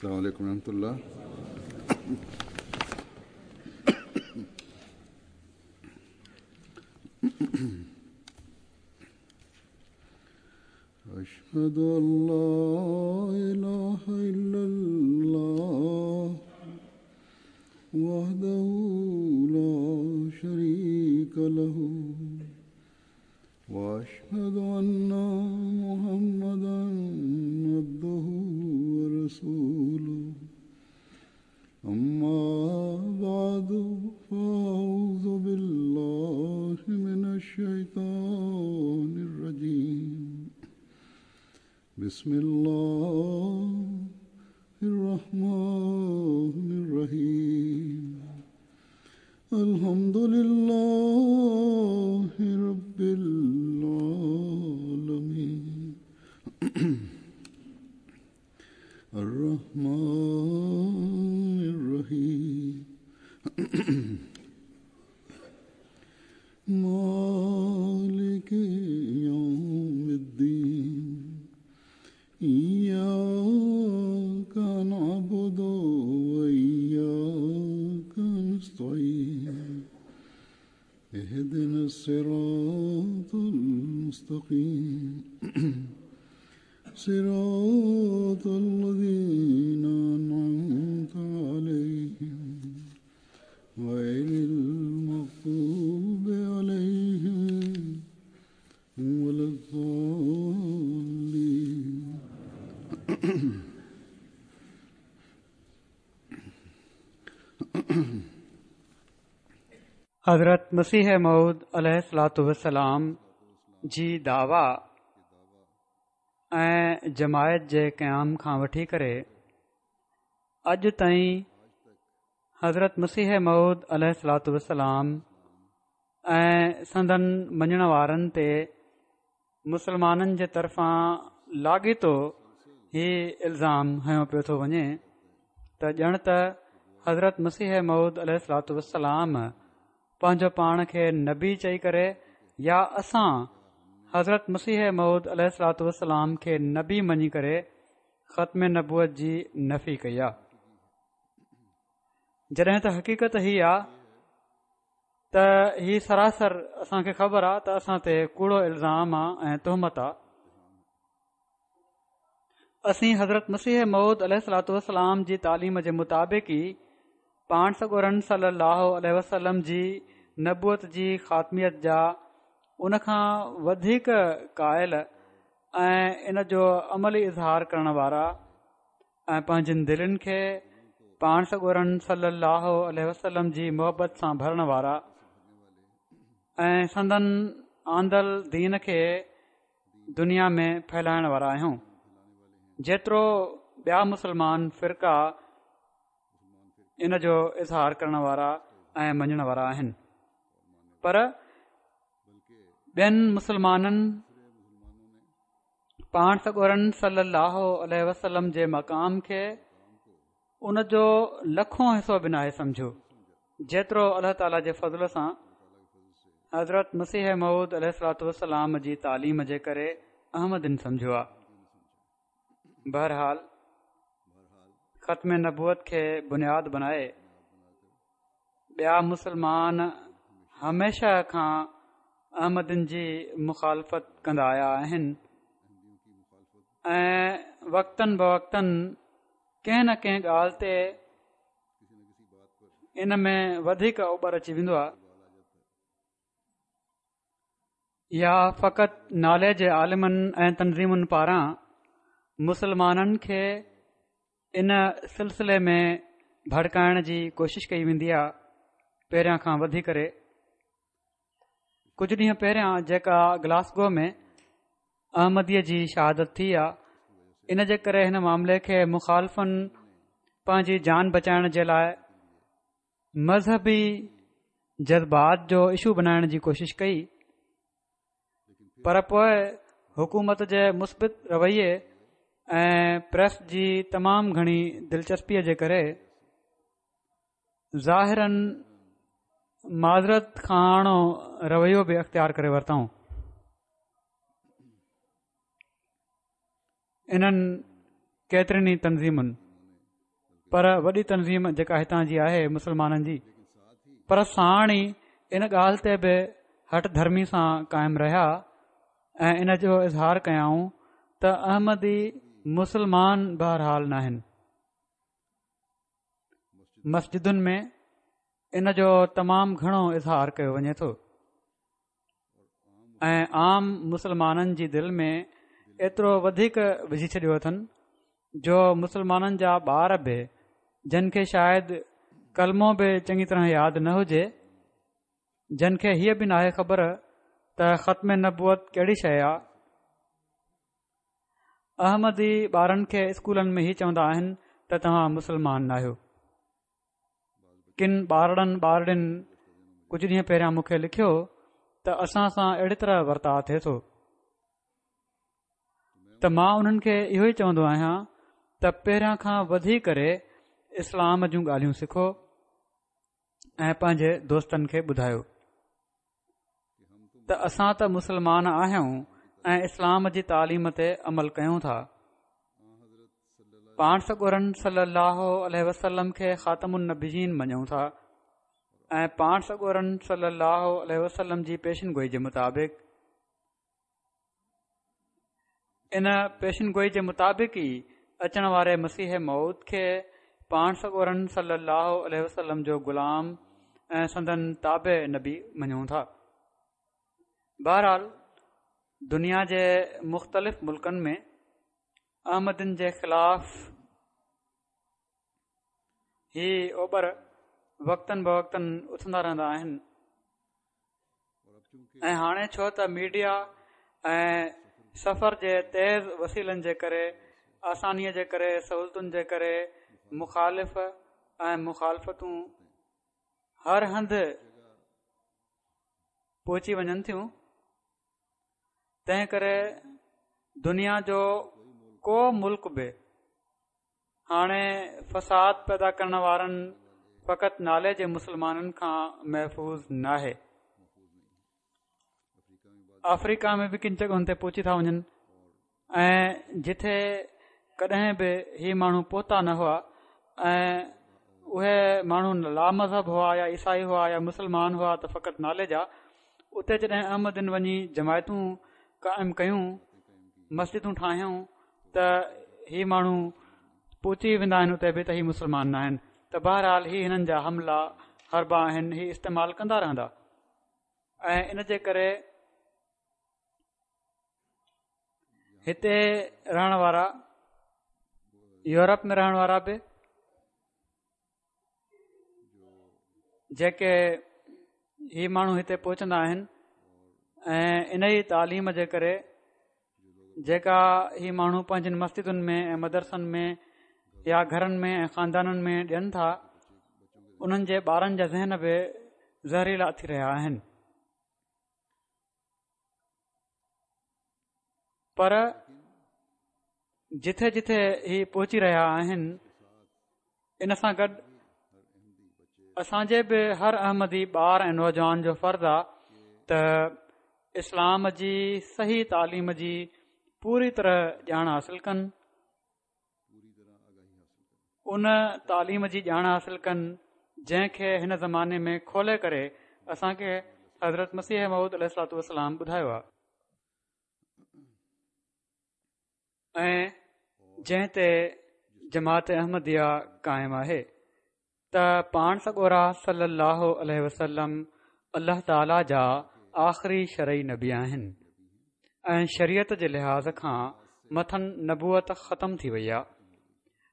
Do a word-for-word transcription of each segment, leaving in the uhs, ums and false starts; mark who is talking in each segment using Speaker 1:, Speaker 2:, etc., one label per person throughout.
Speaker 1: السلام عليكم ورحمة الله. أشهد أن لا إله إلا الله وحده لا شريك له وأشهد أن محمدا عبده ورسوله. أما بعد فأعوذ بالله من الشيطان الرجيم. بسم الله الرحمن الرحيم. الحمد لله رب العالمين الرحمن الرحيم مالك يوم الدين. إياك نعبد وإياك نستعين. اهدنا الصراط المستقيم صراط الذين أنعمت عليهم غير المغضوب عليهم ولا الضالين.
Speaker 2: حضرت مسيح موعود عليه الصلوة والسلام جي دعويٰ ۽ جماعت جي قيام کان وٺي ڪري اڄ تائين حضرت مسيح موعود عليه الصلوة والسلام ۽ سندن مڃڻ وارن تي مسلمانن جي طرفان لاڳيتو هي الزام هنيو پيو ٿو وڃي ته ڄڻ ته حضرت مسيح موعود عليه الصلوة والسلام پنهنجو پاڻ کي نبي چئي ڪري يا اسان حضرت مسيح موعود عليه الصلوة والسلام کي نبي مڃي ڪري ختم نبوت جي نفي ڪئي آ. جڏهن ته حقيقت هي آ ته هي سراسر اسان کي خبر آ ته اسان تي ڪوڙو الزام آ ۽ تهمت آ. اسين حضرت مسيح موعود عليه الصلوة والسلام جي تعليم جي مطابق ئي پاڻ سڳورن صلي الله عليه وسلم جي نبوت جي خاتميت جا ان کان وڌيڪ قائل ۽ ان جو عملي اظهار ڪرڻ وارا ۽ پنهنجن دلين کي پاڻ سڳورن صلي الله عليه وسلم جي محبت سان ڀرڻ وارا ۽ سندن آندل دين کي دنيا ۾ ڦهلائڻ وارا آهيون. جيترو ٻيا مسلمان فرقا ان جو اظهار ڪرڻ وارا ۽ مڃڻ وارا آهن، پر ٻين مسلمانن پاڻ سڳورن صلي الله عليه وسلم جي مقام کي ان جو لکون حصو به ناهي سمجهيو جيترو الله تعاليٰ جي فضل سان حضرت مسيح موعود عليه الصلوة والسلام جي تعليم جي ڪري احمدين سمجهيو آهي. بهرحال ختم نبوت کي بنياد بنائي ٻيا مسلمان هميشه کان احمدين جي مخالفت ڪندا آيا آهن ۽ وقتن بوقتن ڪنهن نه ڪنهن ڳالهه تي ان ۾ وڌيڪ اوٻر اچي ويندو آهي يا فقط نالي جي عالمن ۽ تنظيمن پاران مسلمانن کي ان سلسلي ۾ ڀڙڪائڻ جي ڪوشش ڪئي ويندي آهي. پهريان کان وڌي ڪري ڪجهه ڏينهن پهريان جيڪا گلاسگو ۾ احمديء جي شهادت ٿي آهي ان جي ڪري هن معاملي کي مخالفن پنهنجي جان بچائڻ جي لاءِ مذهبي جذبات جو اشو بنائڻ جي ڪوشش ڪئي، پر پوءِ حڪومت جي مثبت رويي ۽ پريس جي تمام گهڻي دلچسپيءَ جي ڪري ظاهراً معذرت خواهاڻو رويو به اختيار ڪري ورتائون. انهن ڪيترين ئي تنظيمن پر وڏي تنظيم جيڪا هتان جي آهي مسلمانن جي، پر ساڻ ئي ان ڳالهه تي به هٺ ڌرمي سان قائم رهيا ۽ ان جو اظهار ڪيائون ته احمدي مسلمان بهرحال ناهن. مسجدن ۾ ان جو تمام گهڻو اظهار ڪيو وڃي ٿو ۽ عام مسلمانن جي دل ۾ ايترو وڌيڪ وجهي ڇڏيو اٿن جو مسلمانن جا ٻار به جن کي شايد ڪلمو به چڱي طرح ياد نه هجي، جن کي هيء به ناهي خبر ته ختم نبوت ڪهڙي شيء آ، احمدي ٻارن کي اسڪولن ۾ هي چوندا آهن ته توهان مسلمان ناهيو. ڪن ٻارڙن ٻارڙين ڪجهه ڏينهن پهريان مون کي لکيو ته اسان سان اهڙي طرح ورتاء ٿئي ٿو ته مان انهن کي اهو ئي چوندو آهيان ته پهريان کان وڌي ڪري اسلام جون ڳالهيون سکو ۽ پنهنجي دوستن کي ٻڌايو ته اسان ته مسلمان آهيون ۽ اسلام جي تعليم تي عمل ڪيون ٿا. پاڻ سڳورن صلي الله عليه وسلم کي خاتم النبيين مڃون ٿا ۽ پاڻ سڳورن صلي الله عليه وسلم جي پيشن گوئي جي مطابق ان پيشن گوئي جي مطابق ئي اچڻ واري مسيح موعود کي پاڻ سڳورن صلي الله عليه وسلم جو غلام ۽ سندن تابع نبي مڃون ٿا. بهرحال دنيا جي مختلف ملڪن ۾ احمدين جي خلاف هي اوٻر وقتاً فوقتاً اٿندا رهندا آهن ۽ هاڻي ڇو ته ميڊيا ۽ سفر جي تيز وسيلن جي ڪري، آسانيء جي ڪري، سهولتن جي ڪري مخالف ۽ مخالفتون هر هنڌ پهچي وڃن ٿيون، تنهن ڪري دنيا جو ڪو ملڪ به هاڻي فساد پيدا ڪرڻ وارن فقط نالي جي مسلمانن کان محفوظ ناهي. آفريڪا ۾ به ڪن جڳهن تي پهچي ٿا وڃن ۽ جتي ڪڏهن به هي ماڻهو پهتا نه هئا ۽ اهي ماڻهو لا مذهب هئا يا عيسائي هئا يا مسلمان هئا ته فقط نالي جا، اتي جڏهن احمدين وڃي جماعتون قائم ڪيون، مسجدون ٺاهيون ته هي ماڻهو پهچي ويندا آهن اتي به ته هي مسلمان نه آهن ته بهرحال هي هنن جا حملا حربا آهن، هي استعمال ڪندا رهندا ۽ ان جي ڪري هتي رهڻ وارا يورپ ۾ رهڻ وارا به جيڪي هي ماڻهو هتي پهچندا آهن ۽ ان ئي تعليم جي ڪري جيڪا هي ماڻهو پنهنجن مسجدن ۾ ۽ مدرسن ۾ يا گهرن ۾ ۽ خاندانن ۾ ڏين ٿا، انهن جي ٻارن جا ذهن به زهريلا ٿي رهيا آهن. پر جٿي جٿي هي پهچي رهيا آهن، ان سان گڏ اسان جي به هر احمدي ٻار ۽ نوجوان جو فرض آ ته اسلام جي صحيح تعليم جي پوري طرح ڄاڻ حاصل ڪن، ان تعليم جي ڄاڻ حاصل ڪن جنهن کي هن زماني ۾ کولي ڪري اسان کي حضرت مسيح موعود عليه الصلوة والسلام ٻڌايو آ ۽ جنهن تي جماعت احمديه قائم آهي ته پاڻ سڳورا صلي الله عليه وسلم الله تعاليٰ جا آخري شرعي نبي آهن ۽ شريعت جي لحاظ کان مٿن نبوت ختم ٿي وئي آهي،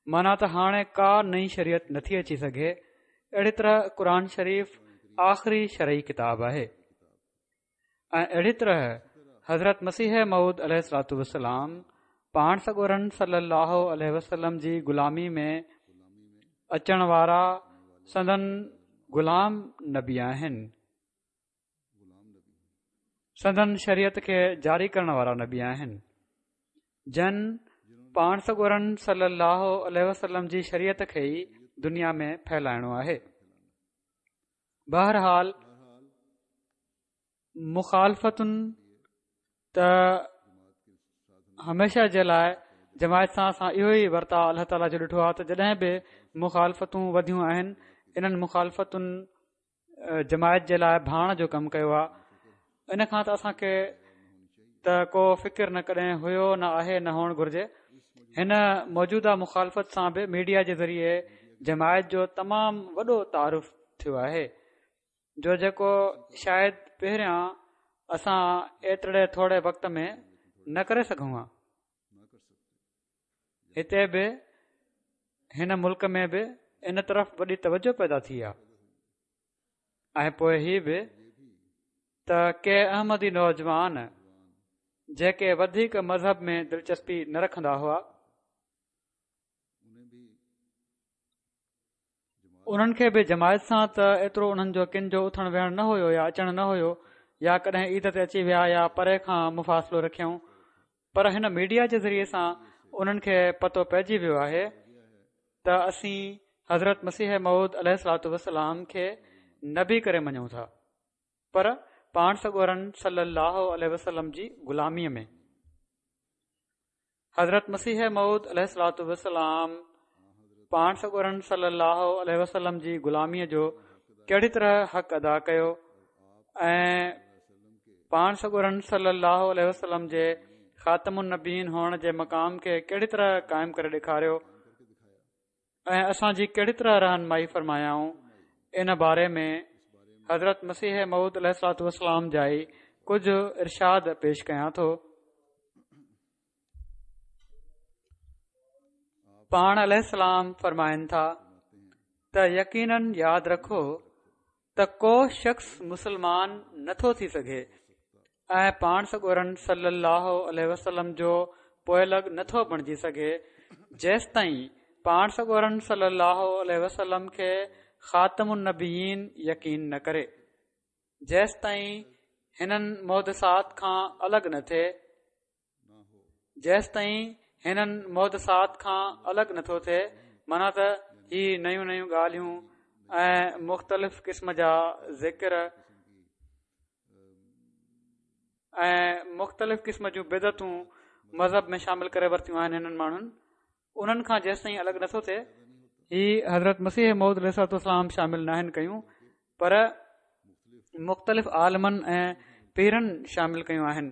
Speaker 2: معنيٰ ته هاڻي ڪا نئين شريعت نٿي اچي سگهي. اهڙي طرح قرآن شريف آخري شرعي ڪتاب آهي ۽ اهڙي طرح حضرت مسيح موعود عليه الصلوة والسلام پاڻ سڳورن صلي الله عليه وسلم جي غلامي ۾ اچڻ وارا سندن غلام نبي آهن، سندن شريعت کي جاري ڪرڻ وارا نبي آهن، جن پاڻ سڳورن صلي الله عليه وسلم جي شريعت کي ئي دنيا ۾ ڦهلائڻو آهي. بهرحال مخالفتن ته هميشه جي لاء جماعت سان اسان اهو ئي ورتاء الله تعاليٰ جو ڏٺو آهي ته جڏهن به مخالفتون وڌيون آهن، انهن مخالفتن جماعت جي لاءِ ڀاڻ جو ڪم ڪيو آهي. ان کان ته اسان کي ته ڪو فڪر نه ڪڏهن هيو نه آهي نه هئڻ گهرجي. هن موجوده مخالفت سان به ميڊيا جي ذريعي جماعت جو تمام وڏو تعارف ٿيو آهي، جو جيڪو شايد پهريان اسان ايتري ٿوري وقت ۾ نه ڪري سگهون ها. هتي به هن ملڪ ۾ به ان طرف وڏي توجه پيدا ٿي آهي. ۽ پوءِ هي به ته ڪي احمدي نوجوان جيڪي وڌيڪ مذهب ۾ دلچسپي نه رکندا هئا، انهن کي به جماعت سان ته ايترو انهن جو ڪن جو اٿڻ ويهڻ نه هيو يا اچڻ نه هيو، يا ڪڏهن عيد تي اچي ويا يا پري کان مفاصلو رکيائون، پر هن ميڊيا جي ذريعي سان انهن کي پتو پئجي ويو آهي ته اسين حضرت مسيح موعود عليه الصلوة والسلام کي نبي ڪري مڃون ٿا، پر پاڻ سڳورن صلي الله عليه وسلم جي غلاميءَ ۾. حضرت مسيح موعود عليه الصلوة والسلام پاڻ سڳورن صلي الله عليه وسلم جي غلاميءَ جو ڪهڙي طرح حق ادا ڪيو ۽ پاڻ سڳورن صلي الله عليه وسلم جي خاتم النبيين هئڻ جي مقام کي ڪهڙي طرح قائم ڪري ڏيکاريو ۽ اسان جي ڪهڙي طرح رهنمائي فرمايائون، ان باري ۾ حضرت مسيح موعود عليه الصلوة والسلام جا ئي ڪجهه ارشاد پيش ڪيان ٿو. پاڻ عليه السلام فرمائن ٿا ته يقيناً ياد رکو ته ڪو شخص مسلمان نٿو ٿي سگهي ۽ پاڻ سڳورن صلي الله عليه وسلم جو پوئلڳ نٿو بڻجي سگهي جيستائين پاڻ سڳورن صلي الله عليه وسلم کي خاتم النبيين يقين نه ڪري، جيستائين هنن محدثات کان الڳ نه ٿئي، جيستائين هنن محدثات کان الڳ نٿو ٿئي، معنيٰ ته هي نيون نيون ڳالهيون ۽ مختلف قسم جا ذڪر ۽ مختلف قسم جون بدعتون مذهب ۾ شامل ڪري ورتيون آهن هنن ماڻهن، انهن کان جيستائين الڳ نٿو ٿئي. هي حضرت مسيح موعود عليه الصلوة والسلام شامل ناهن ڪيون، پر مختلف عالمن ۽ پيرن شامل ڪيون آهن.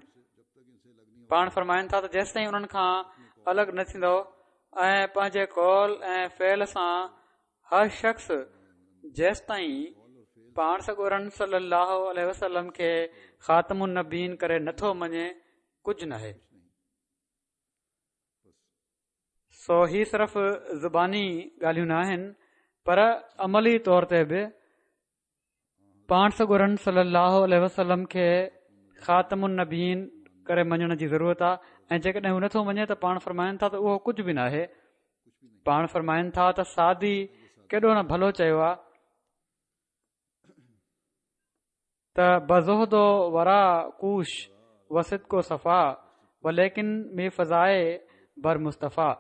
Speaker 2: پاڻ فرمائن ٿا ته جيستائين انهن کان الڳ نه ٿيندو ۽ پنهنجي قول ۽ فعل سان هر شخص جيستائين پاڻ سڳورن صلي الله عليه وسلم کي خاتم النبيين ڪري نٿو مڃي، ڪجهه ناهي. سو هي صرف زباني ڳالهيون نه آهن، پر عملي طور تي به پاڻ سڳورن صلي الله عليه وسلم کي خاتم النبيين ڪري مڃڻ جي ضرورت آهي. ۽ جيڪڏهن هو نٿو مڃي ته پاڻ فرمائن ٿا ته اهو ڪجهه به ناهي. پاڻ فرمائن ٿا ته سعدي ڪيڏو نه ڀلو چيو آهي ته بزهد و ورع ڪوش و صدق و صفا و ليڪن مي فزائي بر مصطفيٰ،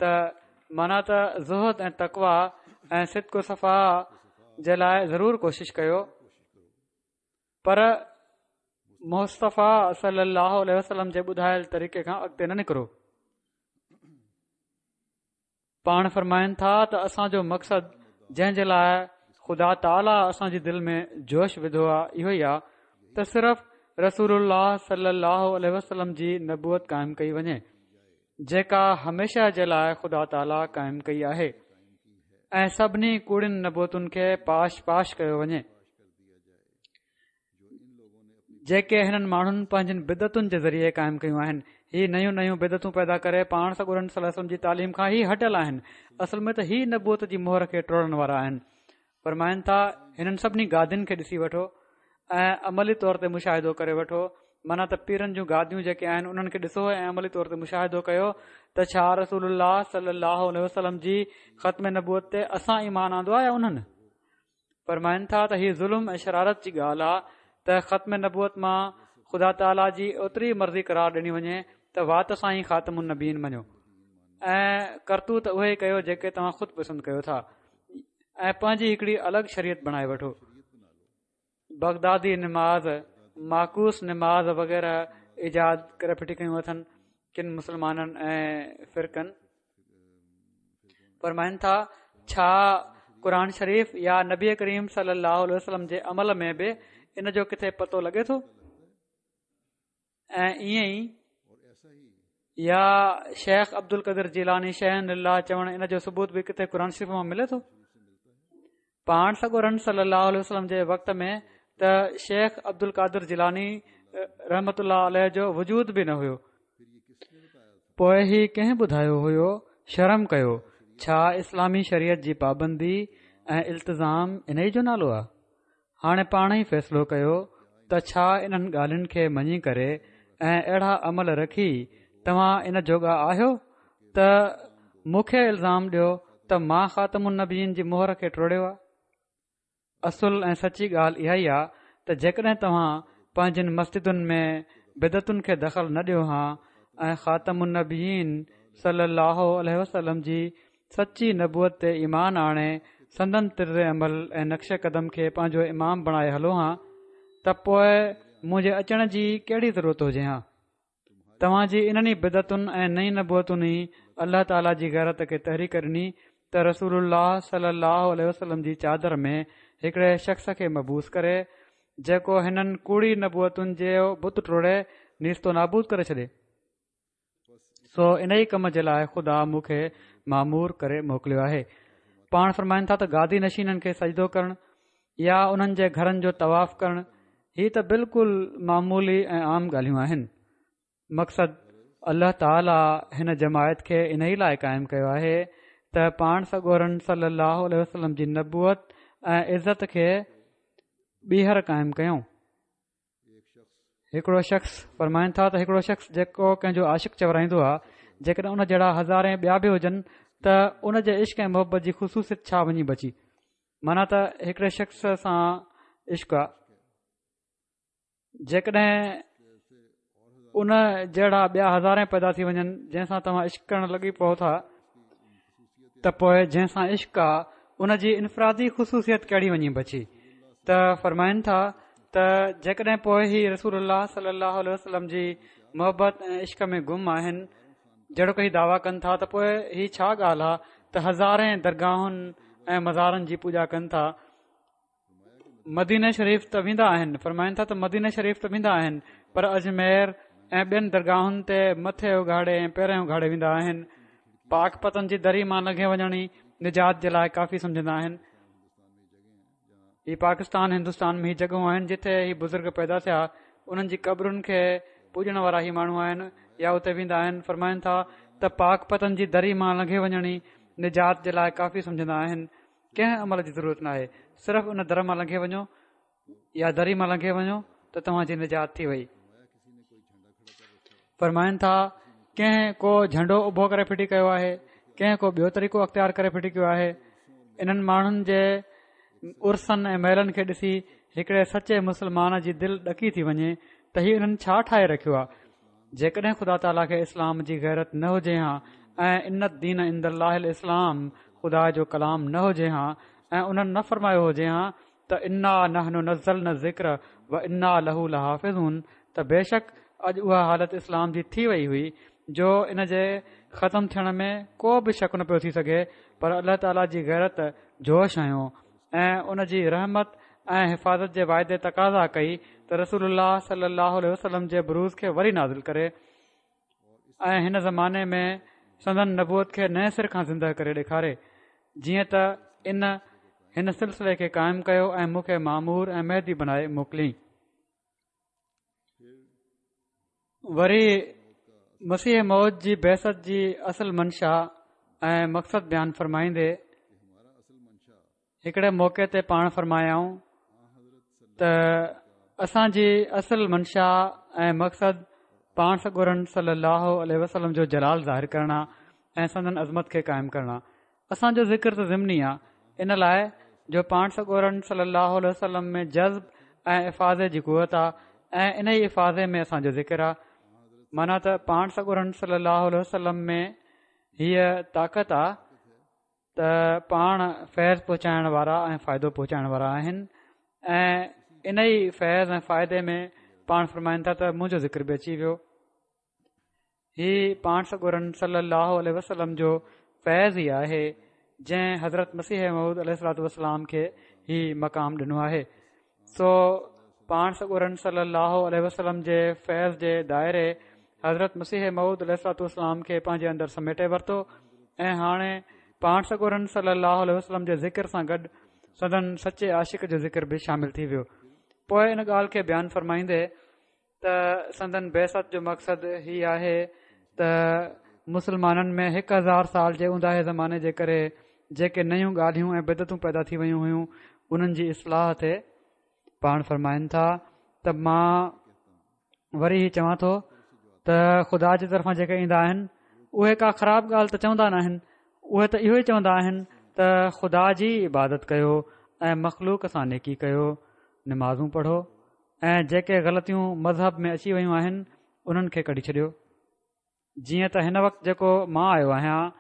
Speaker 2: ته معنيٰ ته زهد ۽ تقويٰ ۽ صدق و صفا جي لاءِ ضرور ڪوشش ڪيو، پر مصطفيٰ صلي الله عليه وسلم جي ٻڌايل طريقي کان اڳتي نه نڪرو. پاڻ فرمائن ٿا ته اسان جو مقصد جنهن جي لاءِ خدا تعاليٰ اسان جي دل ۾ جوش وڌو آهي اهو ئي آهي ته صرف رسول الله صلي الله عليه وسلم جي نبوت قائم ڪئي وڃي، جيڪا هميشه جي لاءِ خدا تعاليٰ قائم ڪئي آهي، ۽ سڀني ڪوڙين نبوتن کي پاش پاش ڪيو وڃي، جيڪي هنن ماڻهن پنهنجن بدعتن جي ذريعي قائم ڪيون آهن. هي نيون نيون بدعتون پيدا ڪري پاڻ سڳورن صلي الله عليه وسلم جي تعليم کان ئي هٽيل آهن. اصل ۾ ته هي نبوت جي مهر کي ٽوڙڻ وارا آهن. فرمائن ٿا هنن سڀني گادين کي ڏسي وٺو ۽ عملي طور تي مشاهدو ڪري وٺو، معنيٰ ته پيرن جون گاديون جيڪي آهن انهن کي ڏسو ۽ عملي طور تي مشاهدو ڪيو ته ڇا رسول الله صلي الله عليه وسلم جي ختم نبوت تي اسان ايمان آندو آهي يا انهن؟ فرمائن ٿا ته هي ظلم ۽ شرارت جي ڳالهه آهي ته ختم نبوت مان خدا تعاليٰ جي اوتري مرضي قرار ڏني وڃي ته وات سان ئي خاتم النبيين مڃو ۽ ڪرتوت اهي ئي ڪيو جيڪي توهان خود پسند ڪيو ٿا ۽ پنهنجي هڪڙي الڳ شريعت بڻائي وٺو. بغدادي نماز، معڪوس نماز وغيره ايجاد ڪري ڦٽي ڪيون اٿن. ڪن مسلمانن ۽ فرقن. فرمائن ٿا، ڇا قرآن شريف يا نبي ڪريم صلي الله عليه وسلم جي عمل ۾ به ان جو ڪٿي پتو لڳي ٿو؟ ۽ ائين ئي يا شيخ عبد القادر جيلاني شيئا لله چوڻ ان جو ثبوت به ڪٿي قرآن شريف مان ملي ٿو؟ پاڻ سڳورن صلي الله عليه وسلم جي وقت ۾ ته شيخ عبد القادر جيلاني رحمة الله عليه جو وجود به نه هيو. پوء هي ڪنهن ٻڌايو هيو؟ شرم ڪيو، ڇا اسلامي شريعت جي پابندي ۽ التزام انهي جو نالو آ؟ هاڻي پاڻ ئي فيصلو ڪيو ته ڇا انهن ڳالهين کي مڃي ڪري ۽ اهڙا عمل رکي توهان ان جوڳا آهيو ته مون کي الزام ڏيو ته مان خاتم النبيين جي مهر کي ٽوڙيو آ؟ اصل ۽ سچي ڳالهه اها ئي آ ته جيڪڏهن توهان پنهنجين مسجدن ۾ بدعتن کي دخل نه ڏيو ها ۽ خاتم النبيين صلي الله عليه وسلم جي سچي نبوت تي ايمان آڻي سندن طرز عمل ۽ نقش قدم کي پنهنجو امام بڻائي هلو ها ته پوء منهنجي اچڻ جي ڪهڙي ضرورت هجي ها؟ توهان جي انهن ئي بدعتن ۽ نئين نبوتن ئي الله تعاليٰ جي غيرت کي تحريڪ ڏني ته رسول الله صلي الله عليه وسلم جي چادر ۾ هڪڙي شخص کي مبعوث ڪري جيڪو هنن ڪوڙي نبوتن جو بت ٽوڙي نيست و نابود ڪري ڇڏي. سو انهي ڪم جي لاء خدا مون کي مامور ڪري موڪليو آهي. پاڻ فرمائن ٿا ته گادي نشينن کي سجدو ڪرڻ يا انهن جي گهرن جو طواف ڪرڻ هي ته بلڪل معمولي ۽ عام ڳالهيون آهن. مقصد الله تعاليٰ هن جماعت کي انهي لاء قائم ڪيو آهي ته پاڻ سڳورن صلي الله عليه وسلم جي نبوت ۽ عزت کي ٻيهر قائم ڪيون. هڪڙو شخص، فرمائن ٿا ته هڪڙو شخص جيڪو ڪنهن جو عاشق چورائيندو آهي، جيڪڏهن ان جهڙا هزارين ٻيا به هجن ته ان جي عشق ۽ محبت جي خصوصيت ڇا وڃي بچي؟ معنيٰ ته هڪڙي شخص سان عشق آ، جيڪڏهن ان جهڙا ٻيا هزارين پيدا ٿي وڃن جنهن سان توهان عشق ڪرڻ لڳي پئو ٿا ته پوء جنهن سان عشق آ ان جي انفرادي خصوصيت ڪهڙي وڃي بچي؟ ته فرمائن ٿا ته جيڪڏهن پوء هي رسول الله صلي الله عليه وسلم جي محبت ۽ عشق ۾ گم آهن جهڙوڪ هي دعويٰ ڪن ٿا ته پوء هي ڇا ڳالهه آ ته هزارين درگاهن ۽ مزارن جي پوڄا ڪن ٿا. مديني شريف ته ويندا آهن، فرمائن ٿا ته مديني شريف ته ويندا آهن پر اجمير ۽ ٻين درگاهن تي مٿي اگهاڙي ۽ پيرين اگهاڙي ويندا آهن. پاڪ پتن جي دري مان لنگهي وڃڻ ئي نجات جي لاء ڪافي سمجهندا آهن. هي پاڪستان هندستان ۾ هي جڳهون آهن جتي هي بزرگ پيدا ٿيا انهن جي قبرن کي پوڄڻ وارا هي ماڻهو آهن يا اتي ويندا آهن. فرمائن ٿا ته پاڪ پتن جي دري مان لنگهي وڃڻ ئي نجات جي لاء ڪافي سمجهندا آهن. ڪنهن عمل جي ضرورت ناهي صرف ان در مان لنگهي وڃو يا دري مان لنگهي وڃو ته توهان جي نجات ٿي وئي. فرمائن ٿا ڪنهن ڪو جهنڊو اڀو ڪري ڦٽي ڪيو آهي ڪنهن ڪو ٻيو طريقو اختيار ڪري ڦٽي ڪيو آهي انهن ماڻهن جي عرسن ۽ ميلن کي ڏسي هڪڙي سچي مسلمان جي دل ڏڪي ٿي وڃي ته هي انهن ڇا ٺاهي رکيو آهي جيڪڏهن خدا تعاليٰ کي اسلام جي غيرت نه هجي ها ۽ ان الدين عند الله الاسلام خدا جو ڪلام نه هجي ها ۽ انهن نه فرمايو هجي ها ته انا نحن نزلنا الذڪر وانا له لحافظون ته بيشڪ اڄ اها حالت اسلام جي ٿي وئي هئي جو ان جي ختم ٿيڻ ۾ ڪو به شڪ نه پيو ٿي سگهي پر الله تعاليٰ جي غيرت جوش هنيو ۽ ان جي رحمت ۽ حفاظت جي واعدي تقاضا ڪئي ته رسول الله صلي الله عليه وسلم جي بروز کي وري نازل ڪري ۽ هن زماني ۾ سندن نبوت کي نئين سر کان زنده ڪري ڏيکاري جيئن ته ان هن سلسلي کي قائم ڪيو ۽ مون کي مامور ۽ مهدي بنائي موڪليائين. وري مسيح موعود جي بعثت جي اصل منشا ۽ مقصد بيان فرمائيندي هڪڙي موقعي تي پاڻ فرمايائون ته اسان جي اصل منشا ۽ مقصد پاڻ سڳورن صلي الله عليه وسلم جو جلال ظاهر ڪرڻ آ ۽ سندن عظمت کي قائم ڪرڻ آ اسان جو ذڪر ته ضمني آ ان لاء جو پاڻ سڳورن صلي الله عليه وسلم ۾ جذب ۽ افاضي جي قوت آ ۽ ان ئي افاضي ۾ اسان جو ذڪر آ معنيٰ ته پاڻ سڳورن صلي الله عليه وسلم ۾ هيء طاقت آ ته پاڻ فيض پهچائڻ وارا ۽ فائدو پهچائڻ وارا آهن ۽ ان ئي فيض ۽ فائدي ۾ پاڻ فرمائن ٿا ته منهنجو ذڪر به اچي ويو. هي پاڻ سڳورن صلي الله عليه وسلم جو فيض ئي آهي جنهن حضرت مسيح موعود عليه الصلوة والسلام کي هي مقام ڏنو آهي. سو پاڻ سڳورن صلي الله عليه وسلم جي فيض جي دائري حضرت مسيح موعود عليه الصلوة والسلام کي پنهنجي اندر سميٽي ورتو ۽ هاڻي پاڻ سڳورن صلي الله عليه وسلم جي ذڪر سان گڏ سندن سچي عاشق جو ذڪر به شامل ٿي ويو. پوء ان ڳالهه کي بيان فرمائيندي ته سندن بعثت جو مقصد هي آهي ته مسلمانن ۾ هڪ هزار سال جي اونداهي زماني جي ڪري جيڪي نيون ڳالهيون ۽ بدعتون پيدا ٿي ويون هيون انهن جي اصلاح ٿئي. پاڻ فرمائن ٿا ته مان وري هي چوان ٿو ته خدا جي طرفان جيڪي ايندا آهن اهي ڪا خراب ڳالهه ته چوندا نه آهن، اهي ته اهو ئي چوندا آهن ته خدا جي عبادت ڪيو ۽ مخلوق سان نيڪي ڪيو، نمازون پڙهو ۽ جيڪي غلطيون مذهب ۾ اچي ويون آهن انهن کي ڪڍي ڇڏيو. جيئن ته هن وقت جيڪو مان آيو آهيان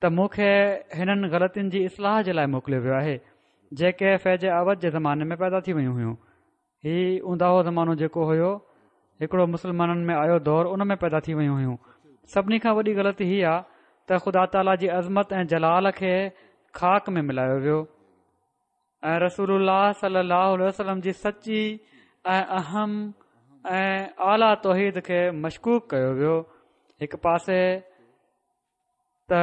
Speaker 2: ته مون کي هنن غلطين جي اصلاح جي لاء موڪليو ويو آهي جيڪي فيج عوج جي زماني ۾ پيدا ٿي ويون هيون. هي اونداهو زمانو جيڪو هيو هڪڙو مسلمانن ۾ آيو دور ان ۾ پيدا ٿي ويون هيون. سڀني کان وڏي غلطي هي آ ته خدا تعاليٰ جي عظمت ۽ جلال کي خاڪ ۾ ملايو ويو ۽ رسول الله صلي الله عليه وسلم جي سچي ۽ اهم ۽ اعليٰ توحيد کي مشڪوڪ ڪيو ويو. هڪ پاسي ته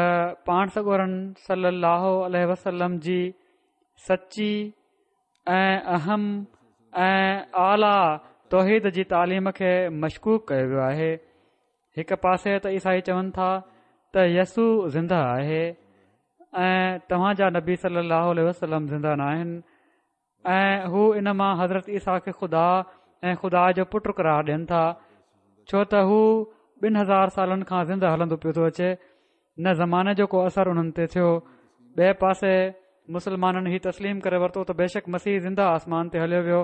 Speaker 2: پاڻ سڳورن صلي الله عليه وسلم جي سچي ۽ اهم ۽ اعليٰ توحيد جي تعليم کي مشڪوڪ ڪيو ويو آهي. هڪ پاسي ته عيسائي چون ٿا ته يسوع زنده آهي ۽ توهان جا نبي صلي الله عليه وسلم زنده نه آهن ۽ هو ان مان حضرت عيسيٰ کي خدا ۽ خدا جو پٽ قرار ڏين ٿا، ڇو ته هو ٻن هزار سالن کان زنده هلندو پيو ٿو اچي، نه زماني جو ڪو اثر انهن تي ٿيو. ٻئي پاسي مسلمانن هي تسليم ڪري ورتو ته بيشڪ مسيح زنده آسمان تي هليو ويو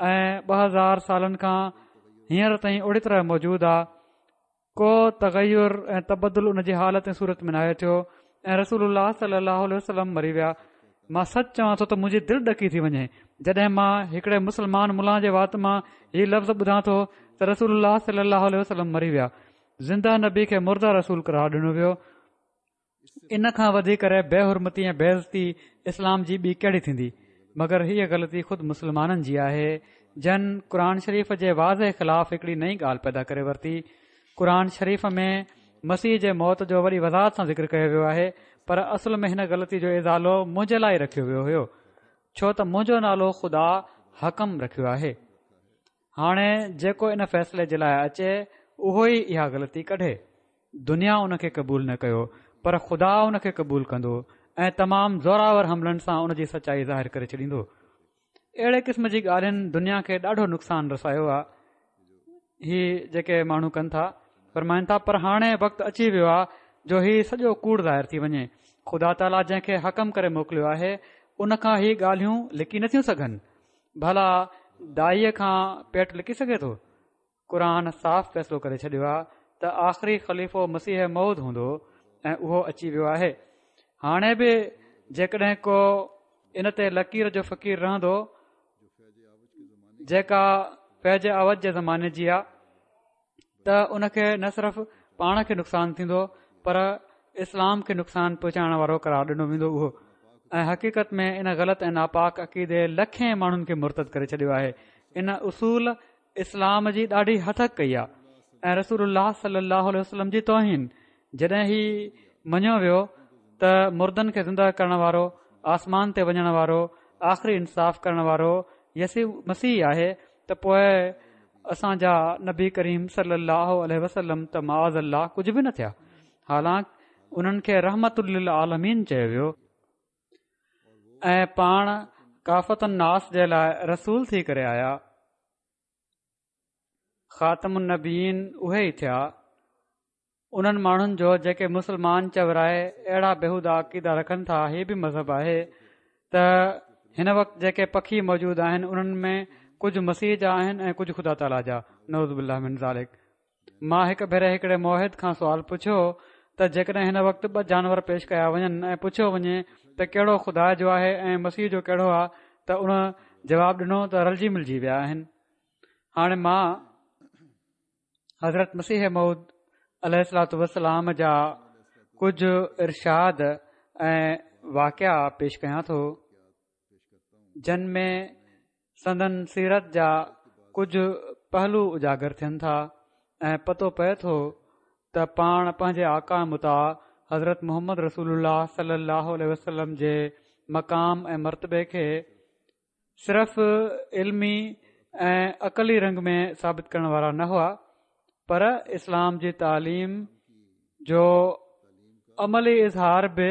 Speaker 2: ۽ ٻه هزار سالن کان هينئر تائين اهڙي طرح موجود آ، ڪو تغير ۽ تبدل ان جي حالت ۽ صورت ۾ ناهي ٿيو ۽ رسول الله صلي الله عليه وسلم مري ويا. مان سچ چوان ٿو ته منهنجي دل ڏڪي ٿي وڃي جڏهن مان هڪڙي مسلمان ملان جي وات مان هي لفظ ٻڌان ٿو ته رسول الله صلي الله عليه وسلم مري ويا. زنده نبي کي مرده رسول قرار ڏنو ويو. ان کان وڌي ڪري بي حرمتي ۽ بي عزتي اسلام جي ٻي ڪهڙي ٿيندي؟ مگر هيء غلطي خود مسلمانن جي آهي جن قرآن شريف جي واضح خلاف هڪڙي نئين ڳالهه پيدا ڪري ورتي. قرآن شريف ۾ مسيح جي موت جو وڏي وضاحت سان ذڪر ڪيو ويو آهي، پر اصل ۾ هن غلطي جو ازالو منهنجي لاء ئي رکيو ويو هيو، ڇو ته منهنجو نالو خدا حڪم رکيو آهي. هاڻي جيڪو ان فيصلي جي لاء اچي اهو ئي اها غلطي ڪڍي. دنيا ان کي قبول نه ڪيو پر خدا ان کي قبول ڪندو ۽ تمام زوراور حملن سان ان جي سچائي ظاهر ڪري ڇڏيندو. اهڙي قسم جي ڳالهين دنيا کي ڏاڍو نقصان رسايو آهي. هي جيڪي ماڻهو ڪن ٿا، فرمائن ٿا پر هاڻي وقت اچي ويو آهي جو هي سڄو ڪوڙ ظاهر ٿي وڃي. خدا تعاليٰ جنهن کي حڪم ڪري موڪليو آهي ان کان هي ڳالهيون لڪي نٿيون سگهن. ڀلا دائيء کان پيٽ لڪي سگهي ٿو؟ قرآن صاف فيصلو ڪري ڇڏيو آهي ته آخري خليفو مسيح موعود هوندو ۽ اهو اچي ويو آهي. هاڻي به جيڪڏهن ڪو ان تي لڪير جو فقير رهندو جيڪا فيج عوج جي زماني جي آ ته ان کي نه صرف پاڻ کي نقصان ٿيندو پر اسلام کي نقصان پهچائڻ وارو قرار ڏنو ويندو اهو ۽ حقيقت ۾ ان غلط ۽ ناپاڪ عقيدي لکين ماڻهن کي مرتد ڪري ڇڏيو آهي. ان اصول اسلام جي ڏاڍي هتڪ ڪئي آ ۽ رسول الله صلي الله عليه وسلم جي توهين. جڏهن هي مڃيو ويو ته مردن کي زنده ڪرڻ وارو، آسمان تي وڃڻ وارو، آخري انصاف ڪرڻ وارو يسوع مسيح آهي ته پوء اسان جا نبي ڪريم صلي الله عليه وسلم ته معاذ الله ڪجهه به نه ٿيا، حالانڪ انهن کي رحمت للعالمين چيو ويو ۽ پاڻ ڪافة الناس جي لاء رسول ٿي ڪري آيا. خاتم النبيين اهي ئي ٿيا. انهن ماڻهن جو جيڪي مسلمان چورائي اهڙا بيهودا عقيدا رکن ٿا هي به مذهب آهي ته هن وقت جيڪي پکي موجود آهن انهن ۾ ڪجهه مسيح جا آهن ۽ ڪجهه خدا تعاليٰ جا، نعوذ بالله من ذلڪ. مان هڪ ڀيري هڪڙي موحد کان سوال پڇيو ته جيڪڏهن هن وقت ٻه جانور پيش ڪيا وڃن ۽ پڇيو وڃي ته ڪهڙو خدا جو آهي ۽ مسيح جو ڪهڙو آهي ته ان جواب ڏنو ته رلجي ملجي ويا آهن. هاڻي مان حضرت مسيح موعود عليه الصلوة والسلام جا ڪجهه ارشاد ۽ واقعا پيش ڪيان ٿو، جن ۾ سندن سيرت جا ڪجهه پهلو اجاگر ٿين ٿا ۽ پتو پئي ٿو ته پاڻ پنهنجي آقا مطاع حضرت محمد رسول الله صلي الله عليه وسلم جي مقام ۽ مرتبي کي صرف علمي ۽ عقلي رنگ ۾ ثابت ڪرڻ وارا نه هئا، پر اسلام جي تعليم جو عملي اظهار به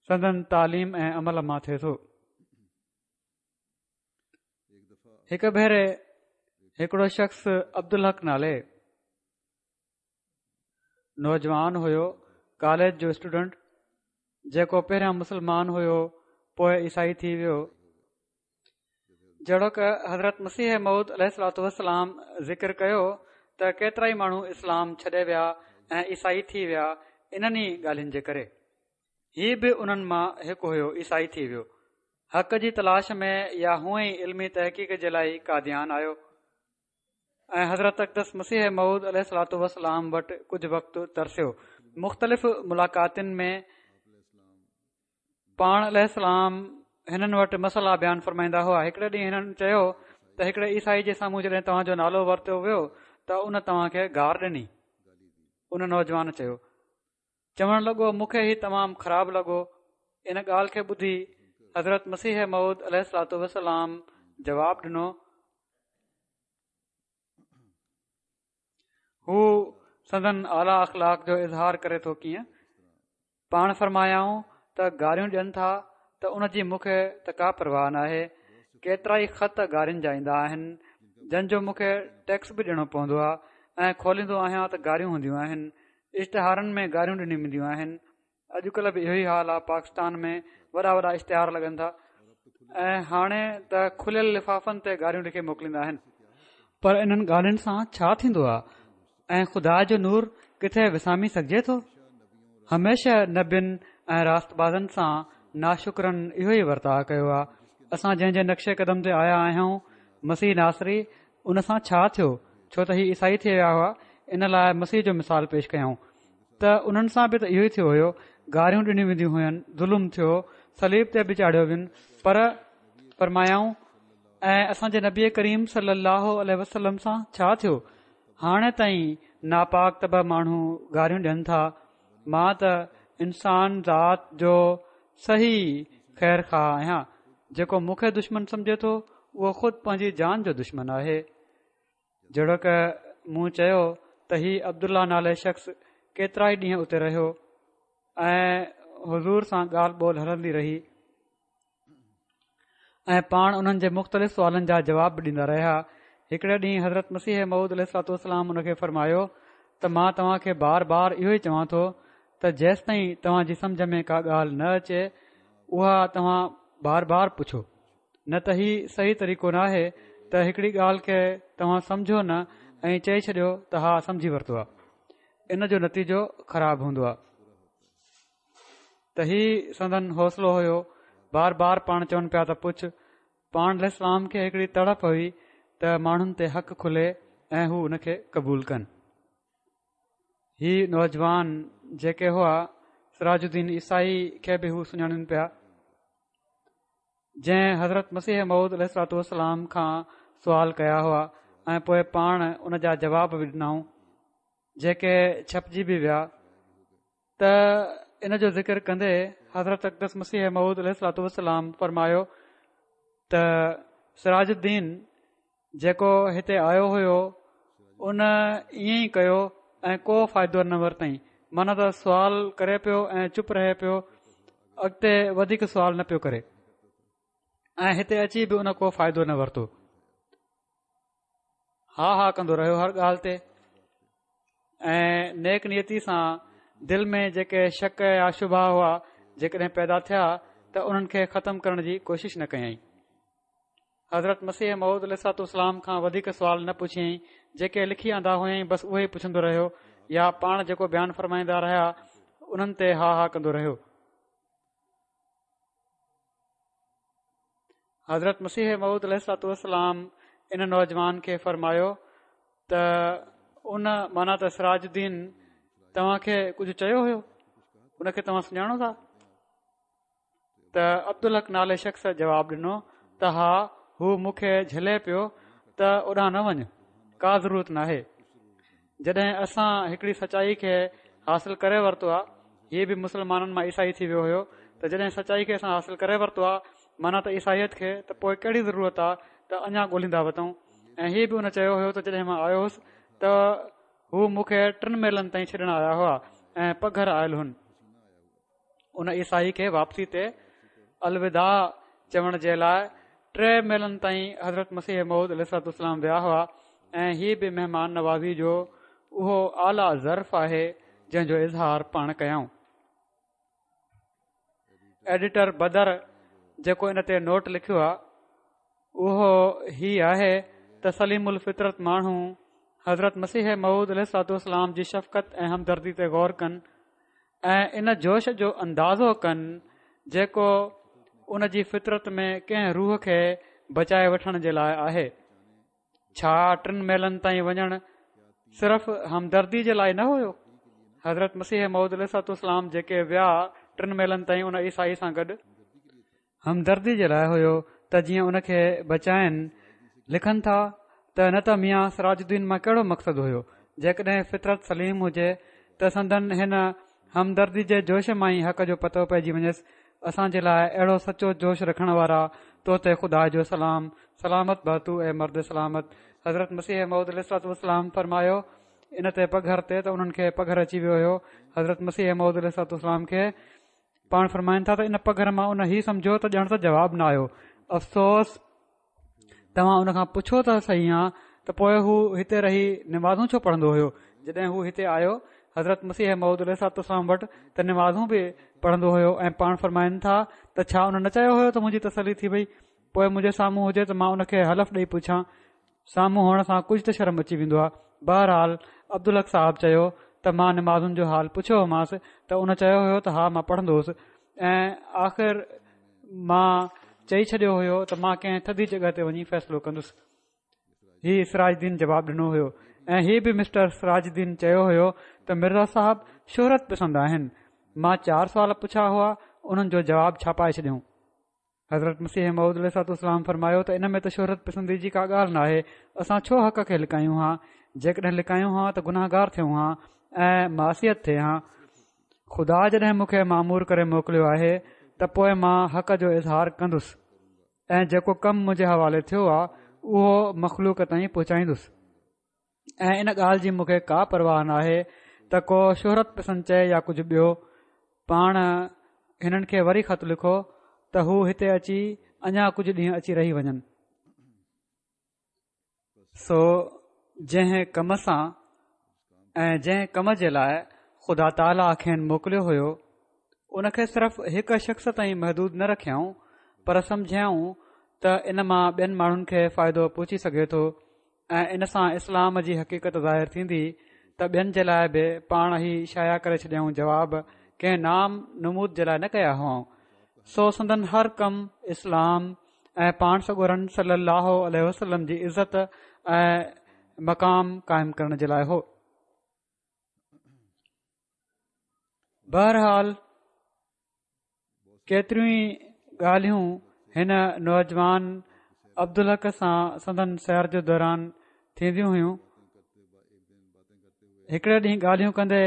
Speaker 2: سندن تعليم ۽ عمل مان ٿئي ٿو. هڪ ڀيري هڪڙو شخص عبدالحق نالي نوجوان هيو، ڪاليج جو اسٽوڊنٽ، جيڪو پهريان مسلمان هيو پوء عيسائي ٿي ويو. جهڙوڪ حضرت مسيح موعود عليه الصلوة والسلام ذڪر ڪيو ته ڪيترائي ماڻهو اسلام ڇڏي ويا ۽ عيسائي ٿي ويا انهن ئي ڳالهين جي ڪري. هي به انهن مان هڪ هيو، عيسائي ٿي ويو. حق جي تلاش ۾ يا هونئن ئي علمي تحقيق جي لاء قاديان آيو ۽ حضرت اقدس مسيح موعود عليه الصلوة والسلام وٽ ڪجهه وقت ترسيو. مختلف ملاقاتن ۾ پاڻ عليه السلام هنن وٽ مسئلا بيان فرمائيندا هئا. هڪڙي ڏينهن هنن چيو ته هڪڙي عيسائي جي سامهون جڏهن توهان جو نالو ورتو ويو ته ان توهان کي گار ڏني. ان نوجوان چيو. چوڻ لڳو مون کي هي تمام خراب لڳو. ان ڳالهه کي ٻڌي حضرت مسيح موعود عليه الصلوة والسلام جواب ڏنو. هو سندن اعليٰ اخلاق جو اظهار ڪري ٿو ڪيئن؟ پاڻ فرمايائون ته گاريون ڏين ٿا ته ان جي مون کي ته ڪا پرواهه ناهي، ڪيترائي خط گارين جا ايندا آهن، جن جو مون کي ٽيڪس به ڏيڻو پوندو آهي ۽ کوليندو آهيان ته گاريون هونديون آهن، اشتهارن ۾ گاريون ڏنيون وينديون آهن، اڄڪلهه به اهو ئي حال آهي، پاڪستان ۾ وڏا وڏا اشتهار لڳن ٿا ۽ هاڻي ته کليل لفافن تي گاريون لکي موڪليندا آهن. پر انهن ڳالهين سان ڇا ٿيندو آهي ۽ خدا جو نور ڪٿي وسامي سگهجي ٿو؟ هميشه نبين ۽ راستبازن سان ناشڪرن اهو ئي ورتاء ڪيو آهي. اسان جنهن جي نقش قدم تي آيا آهيون، مسيح ناصري، ان سان ڇا ٿيو؟ ڇو ته هي عيسائي ٿي ويا هئا، ان لاء مسيح جو مثال پيش ڪيائون ته انهن سان به ته اهو ئي ٿيو هيو، گاريون ڏنيون وينديون هين، ظلم ٿيو، صليب تي به چاڙهيو وين، پر فرمايائون، ۽ اسان جي نبي ڪريم صلي الله عليه وسلم سان ڇا ٿيو؟ هاڻي تائين ناپاڪ طبع ماڻهو گاريون ڏين ٿا، مان ته انسان ذات جو صحيح خير خواهه آهيان، جيڪو مون کي دشمن سمجهي ٿو اهو خود پنهنجي جان جو دشمن آهي. جهڙوڪ مون چيو ته هي عبدالله نالي شخص ڪيترائي ڏينهن اتي رهيو ۽ حضور سان ڳالهه ٻولهه هلندي رهي ۽ پاڻ انهن جي مختلف سوالن جا جواب به ڏيندا رهيا. هڪڙي ڏينهن حضرت مسيح موعود عليه الصلوة والسلام ان کي فرمايو ته مان توهان کي بار بار اهو ئي چوان ٿو ته جيستائين توهان جي سمجهه ۾ ڪا ڳالهه نه اچي اها توهان بار بار پڇو، نه ته هي صحيح طريقو ناهي ته هڪڙي ڳالهه کي توهان سمجهو نه ۽ چئي ڇڏيو ته ها سمجهي ورتو آهي، ان جو نتيجو خراب هوندو آهي. ته هي سندن حوصلو هيو، بار بار پاڻ چون پيا ته پڇ، پاڻ عليه السلام کي هڪڙي تڙپ هئي ته ماڻهن تي حق کلي ۽ هو ان کي قبول ڪن. هي نوجوان جيڪي هئا سراج الدين عيسائي کي به هو سڃاڻن پيا، جنهن حضرت مسيح موعود عليه الصلوة والسلام کان سوال ڪيا هئا ۽ پوء پاڻ ان جا جواب به ڏنائون جيڪي ڇپجي به ويا ته ان جو ذڪر ڪندي حضرت اقدس مسيح موعود عليه الصلوة والسلام فرمايو ته سراج الدين جيڪو هتي آيو هيو ان ائين ئي ڪيو ۽ ڪو فائدو نه ورتائين معنيٰ ته سوال ڪري پيو ۽ چپ رهي پيو اڳتي وڌيڪ سوال نه پيو ڪري ۽ هتي اچي به ان ڪو فائدو نه ورتو ها ها ڪندو رهيو هر ڳالهه تي ۽ نيڪ نيتي سان دل ۾ جيڪي شڪ يا شبها هئا جيڪڏهن پيدا ٿيا ته انهن کي ختم ڪرڻ جي ڪوشش نه ڪيائين حضرت مسيح موعود عليه الصلوة والسلام کان وڌيڪ سوال نه پڇيائين جيڪي لکي آندا هئائين بس اهي ئي پڇندو رهيو يا پاڻ جيڪو بيان فرمائيندا رهيا انهن تي ها ها ڪندو رهيو حضرت مسيح موعود عليه الصلوة والسلام ان نوجوان کي فرمايو ته ان معنيٰ ته سراج الدين توهان کي ڪجهه چيو هيو، ان کي توهان سڃاڻو ٿا؟ ته عبدالحق نالي شخص جواب ڏنو ته ها، هو مون کي جهلي پيو ته اوڏانهن نه وڃ، ڪا ضرورت ناهي. جڏهن اسان هڪڙي سچائي کي حاصل ڪري ورتو آ، هي به مسلمانن مان عيسائي ٿي ويو هيو، ته جڏهن سچائي کي اسان حاصل ڪري ورتو آ، معنيٰ ته عيسائيت کي، ته پوء ڪهڙي ضرورت آ ته اڃا ڳولهيندا وتون. ۽ هي به ان چيو هيو ته جڏهن مان آيو هوس ته هو مون کي ٽن ميلن تائين ڇڏڻ آيا هئا ۽ پگهر آيل هن. ان عيسائي کي واپسي تي الوداع چوڻ جي لاء ٽي ميلن تائين حضرت مسيح موعود عليه الصلوة والسلام ويا هئا ۽ هي به مهمان نوازي جو اهو اعليٰ ظرف آهي جنهن جو اظهار پاڻ ڪيائون. ايڊيٽر بدر جيڪو ان تي نوٽ لکيو آهي اهو هي آهي ته سليم الفطرت ماڻهو حضرت مسيح موعود عليه الصلوة والسلام جي شفقت ۽ همدردي تي غور ڪن ۽ ان جوش جو اندازو ڪن جيڪو ان جي فطرت ۾ ڪنهن روح کي بچائي وٺڻ جي لاء آهي. ڇا ٽن ميلن تائين وڃڻ صرف همدردي جي لاء نه هيو؟ حضرت مسيح موعود عليه الصلوة والسلام جيڪي ويا ٽن ميلن تائين ان عيسائي سان گڏ، همدردي جي لاء هيو ته جيئن ان کي بچائن. لکن ٿا ته نه ته ميان سراج الدين مان ڪهڙو مقصد هيو؟ جيڪڏهن فطرت سليم هجي ته سندن هن همدردي جي جوش مان ئي حق جو پتو پئجي وڃيس. اسان جي لاء اهڙو سچو جوش رکڻ وارا تو تي خدا جو سلام، سلامت بهه تو اي مرد سلامت. حضرت مسيح موعود عليه الصلوة والسلام فرمايو ان تي پگهر تي ته انهن کي پگهر اچي ويو هيو حضرت مسيح موعود عليه الصلوة والسلام کي. پاڻ فرمائن ٿا ته ان پگهر مان ان هي سمجهيو ته ڄڻ ته جواب نه آيو. افسوس توهان ان کان پڇو ته سهي ها ته پوء هو هتي رهي نمازون ڇو پڙهندو هيو؟ جڏهن هو هتي آيو حضرت مسيح موعود عليه الصلوة والسلام وٽ ته نمازون به پڙهندو هيو ۽ پاڻ فرمائن ٿا ته ڇا ان نه چيو هيو ته منهنجي تسلي ٿي وئي پوء منهنجي سامهون هجي ته مان ان کي حلف ڏئي پڇان. سامهون هئڻ سان ڪجهه ته شرم اچي ويندو آهي. بهرحال عبدالحق صاحب چيو ته مان نمازن جو حال پڇيو هومانس ته ان چيو هيو ته ها مان پڙهندو هوس ۽ آخر مان چئي ڇڏيو هيو ته مان ڪنهن ٿڌي جڳهه تي وڃي فيصلو ڪندس. هي سراج الدين جواب ڏنو هيو ۽ هي به مسٽر سراج الدين چيو هيو ته مرزا صاحب شهرت پسند آهن. مان چار سوال پڇيا هئا انهن جو جواب ڇاپائي ڇڏيائون. حضرت مسيح موعود عليه الصلوة والسلام فرمايو ته ان ۾ ته شهرت پسندي جي ڪا ڳالهه ناهي، اسان ڇو حق کي لڪايون ها، جيڪڏهن لڪايون ها ته گنهگار ٿيون ها ۽ معصيت ٿئي ها. خدا جڏهن مون کي مامور ڪري موڪليو آهي ته پوء مان حق جو اظهار ڪندس ۽ جيڪو ڪم منهنجي حوالي ٿيو آهي اهو مخلوق تائين پهچائيندس ۽ ان ڳالهه جي مون کي ڪا پرواهه ناهي ته ڪو شهرت پسند چئي يا ڪجهه ٻيو. پاڻ هنن کي وري خط لکو ته هو هتي اچي اڃا ڪجهه ڏينهن اچي رهي وڃن. سو جنهن ڪم سان ۽ جنهن ڪم جي لاء خدا تعاليٰ کين موڪليو هيو ان کي صرف هڪ شخص تائين محدود نه رکيائون پر سمجهيائون ته ان مان ٻين ماڻهن کي فائدو پهچي سگهي ٿو ۽ ان سان اسلام جي حقيقت ظاهر ٿيندي ته ٻين جي لاء به پاڻ هي شايع ڪري ڇڏيائون جواب ڪنهن نام نمود جي لاء نه ڪيا هئائون سو سندن هر ڪم اسلام ۽ پاڻ سڳورن صلي الله عليه وسلم جي عزت ۽ مقام قائم ڪرڻ جي لاء هو. بهرحال ڪيتريون ئي ڳالهيون هن نوجوان عبدالحق سان سندن سير جي دوران ٿينديون هيون. هڪڙي ڏينهن ڳالهيون ڪندي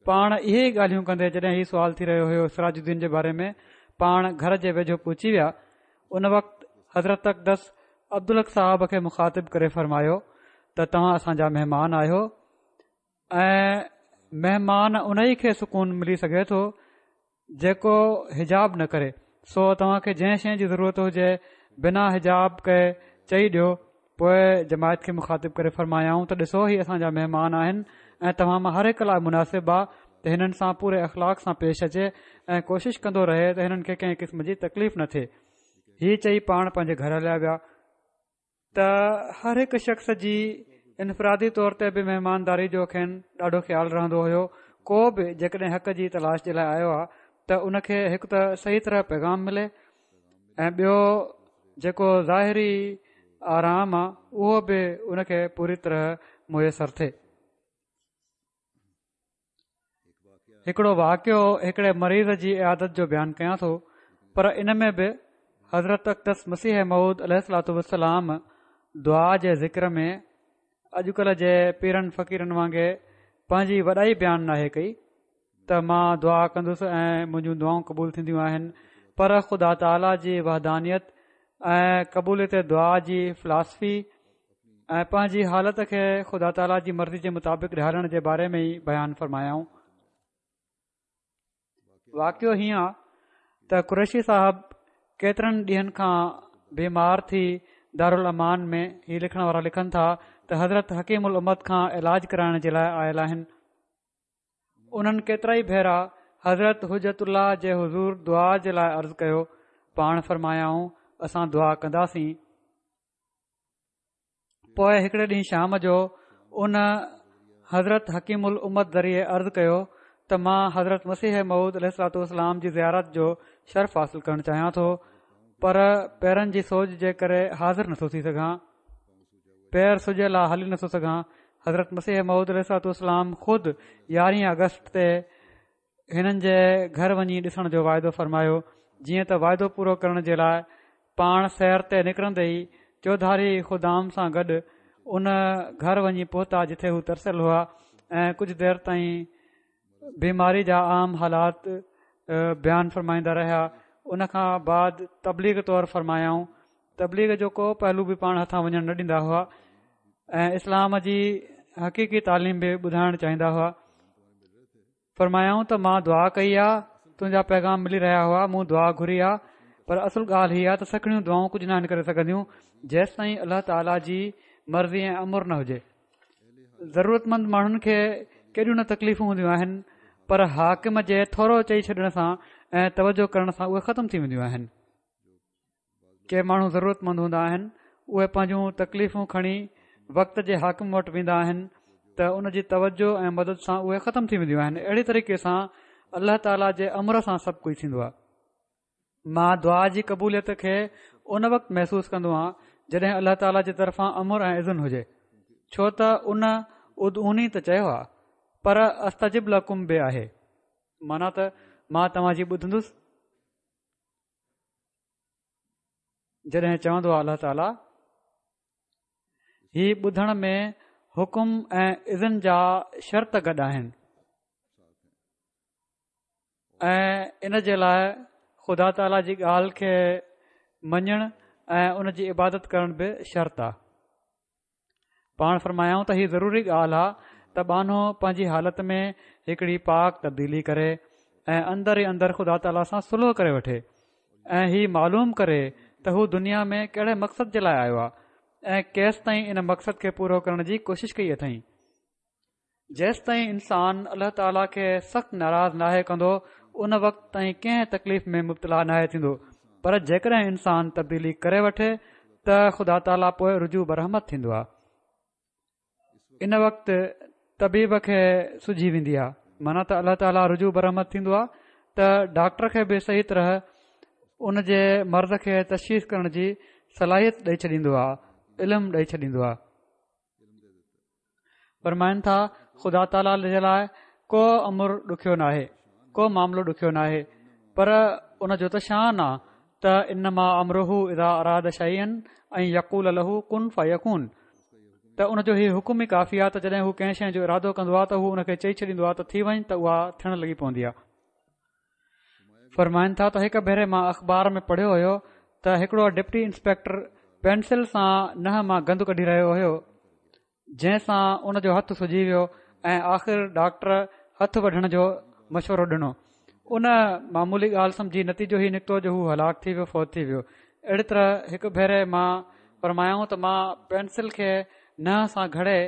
Speaker 2: پاڻ اهي ئي ڳالهيون ڪندي جڏهن هي سوال ٿي رهيو هيو سراج الدين جي باري ۾ پاڻ گهر جي ويجهو پهچي ويا ان وقت حضرت اقدس عبدالحق صاحب کي مخاطب ڪري فرمايو ته توهان اسان جا مهمان آهيو ۽ مهمان انهي کي سڪون ملي سگهي ٿو جيڪو حجاب نه ڪري سو توهان کي جنهن شيء جي ضرورت هجي بنا حجاب ڪئي چئي ڏيو پوء جماعت کي مخاطب ڪري فرمايائون ته ڏسو هي اسان جا مهمان آهن ۽ توهان مان هر هڪ لاء مناسب آ ته هنن سان پوري اخلاق سان پيش اچي ۽ ڪوشش ڪندو رهي ته هنن کي ڪنهن قسم جي تڪليف نه ٿئي هي چئي پاڻ پنهنجي گهر هليا ويا ته هر هڪ شخص جي انفرادي طور تي به مهمانداري جو کين ڏاڍو خيال رهندو هيو ڪو به جيڪڏهن حق جي تلاش جي لاء آيو آهي ته ان کي هڪ ته صحيح طرح پيغام ملي ۽ ٻيو جيڪو ظاهري آرام آهي اهو به ان کي پوري طرح ميسر ٿئي. هڪڙو واقعو هڪڙي مريض جي عيادت جو بيان ڪيان ٿو، پر ان ۾ به حضرت اقدس مسيح موعود عليه الصلوة والسلام دعا جي ذڪر ۾ اڄڪلهه جي پيرن فقيرن وانگي پنهنجي وڏائي بيان ناهي ڪئي ته مان دعا ڪندس ۽ منهنجون دعائون قبول ٿينديون آهن، پر خدا تعاليٰ جي وحدانيت ۽ قبوليت دعا جي فلاسفي ۽ پنهنجي حالت کي خدا تعاليٰ جي مرضي جي مطابق ڍالڻ جي باري ۾ ئي بيان فرمايائون. واقعو هيئن آ ته قريشي صاحب ڪيترن ڏينهن کان بيمار ٿي دارالامان ۾ هي لکڻ وارا لکن ٿا ته حضرت حڪيم الامت کان علاج ڪرائڻ جي لاء آيل آهن. انهن ڪيترائي ڀيرا حضرت حجت الله جي حضور دعا جي لاء عرض ڪيو، پاڻ فرمايائون اسان دعا ڪنداسين. پوء هڪڙي ڏينهن شام جو ان حضرت حڪيم الامت ذريعي عرض ڪيو ته مان حضرت مسيح موعود عليه الصلوة والسلام جي زيارت جو شرف حاصل ڪرڻ چاهيان ٿو پر پيرن جي سوڄ جي ڪري حاضر نٿو ٿي سگهان پير سڄيل آ هلي نٿو سگهان حضرت مسيح موعود عليه الصلوة والسلام خود يارهين آگسٽ تي هنن جي گهر وڃي ڏسڻ جو واعدو فرمايو جيئن ته واعدو پورو ڪرڻ جي لاء پاڻ سير تي نڪرندي ئي چوڌاري خدام سان گڏ ان گهر وڃي پهتا جتي هو ترسيل هئا ۽ ڪجهه دير تائين بيماري جا عام حالات بيان فرمائيندا رهيا ان کان بعد تبليغ طور فرمايائون تبليغ جو ڪو پهلو به پاڻ هٿان وڃڻ نه ڏيندا هئا ۽ اسلام جي حقيقي تعليم به ٻڌائڻ چاهيندا هئا فرمايائون ته مان دعا ڪئي آ، تنهنجا پيغام ملي رهيا هئا، مون دعا گهري آ، پر اصل ڳالهه هي آ ته سکڻيون دعائون ڪجهه ناهن ڪري سگهنديون، جيستائين الله تعاليٰ جي مرضي ۽ امر نه هجي. ضرورتمند ماڻهن کي ڪيڏيون نه تڪليفون هونديون آهن، پر حاڪم جي ٿورو چئي ڇڏڻ سان ۽ توجه ڪرڻ سان اهي ختم ٿي وينديون آهن. ڪي ماڻهو ضرورتمند هوندا آهن اهي پنهنجون تڪليفون کڻي وقت جي حاڪم وٽ ويندا آهن ته ان جي توجه ۽ مدد سان اهي ختم ٿي وينديون آهن اهڙي طريقي سان الله تعاليٰ جي امر سان سڀ ڪجهه ٿيندو آهي مان دعا جي قبوليت کي ان وقت محسوس ڪندو آهيان جڏهن الله تعاليٰ جي طرفان امر ۽ اذن هجي ڇو ته ان ادعوني ته چيو آهي پر استجب لڪم به آهي معنيٰ ته مان توهان جي ٻڌندس جڏهن چوندو آهي الله تعاليٰ هي ٻڌڻ ۾ حڪم ۽ اذن جا شرط گڏ آهن ۽ ان جي لاء خدا تعاليٰ جي ڳالهه کي مڃڻ ۽ ان جي عبادت ڪرڻ به شرط آهي پاڻ فرمايائون ته هي ضروري ڳالهه آ ته ٻانهو پنهنجي حالت ۾ هڪڙي پاڪ تبديلي ڪري ۽ اندر ئي اندر خدا تعاليٰ سان صلح ڪري وٺي ۽ هي معلوم ڪري ته هو دنيا ۾ ڪهڙي مقصد جي لاء آيو آ ۽ ڪيستائين ان مقصد کي پورو ڪرڻ جي ڪوشش ڪئي اٿئين. جيستائين انسان الله تعاليٰ کي سخت ناراض ناهي ڪندو ان وقت تائين ڪنهن تڪليف ۾ مبتلا ناهي ٿيندو پر جيڪڏهن انسان تبديلي ڪري وٺي ته خدا تعاليٰ پوء رجوع برحمت ٿيندو آهي ان وقت طبيب کي سجهي ويندي آهي معنيٰ ته الله تعاليٰ رجوع برحمت ٿيندو آهي ته ڊاڪٽر کي به صحيح طرح ان جي مرض کي تشخيص ڪرڻ جي صلاحيت ڏئي ڇڏيندو آهي علم ڏئي ڇڏيندو آهي فرمائن ٿا خدا تعاليٰ جي لاء ڪو امر ڏکيو ناهي ڪو معاملو ڏکيو ناهي پر ان جو ته شان آ ته انما امره اذا اراد شيئا ان يقول له ڪن فيڪون ته ان جو هي حڪم ئي ڪافي آ ته جڏهن هو ڪنهن شيء جو ارادو ڪندو آ ته هو ان کي چئي ڇڏيندو آ ته ٿي وڃ ته اها ٿيڻ لڳي پوندي آ فرمائن ٿا ته هڪ ڀيري مان اخبار ۾ پڙهيو هيو ته هڪڙو ڊپٽي انسپيڪٽر پينسل سان ننهن مان گند ڪڍي رهيو هيو جنهن سان ان جو هٿ سجي ويو ۽ آخر ڊاڪٽر هٿ وڍڻ جو مشورو ڏنو ان معمولي ڳالهه سمجهي نتيجو هي نڪتو جو هو هلاڪ ٿي ويو فوت ٿي ويو اهڙي طرح هڪ ڀيري مان فرمايائون ته مان پينسل کي ننهن سان گهڙي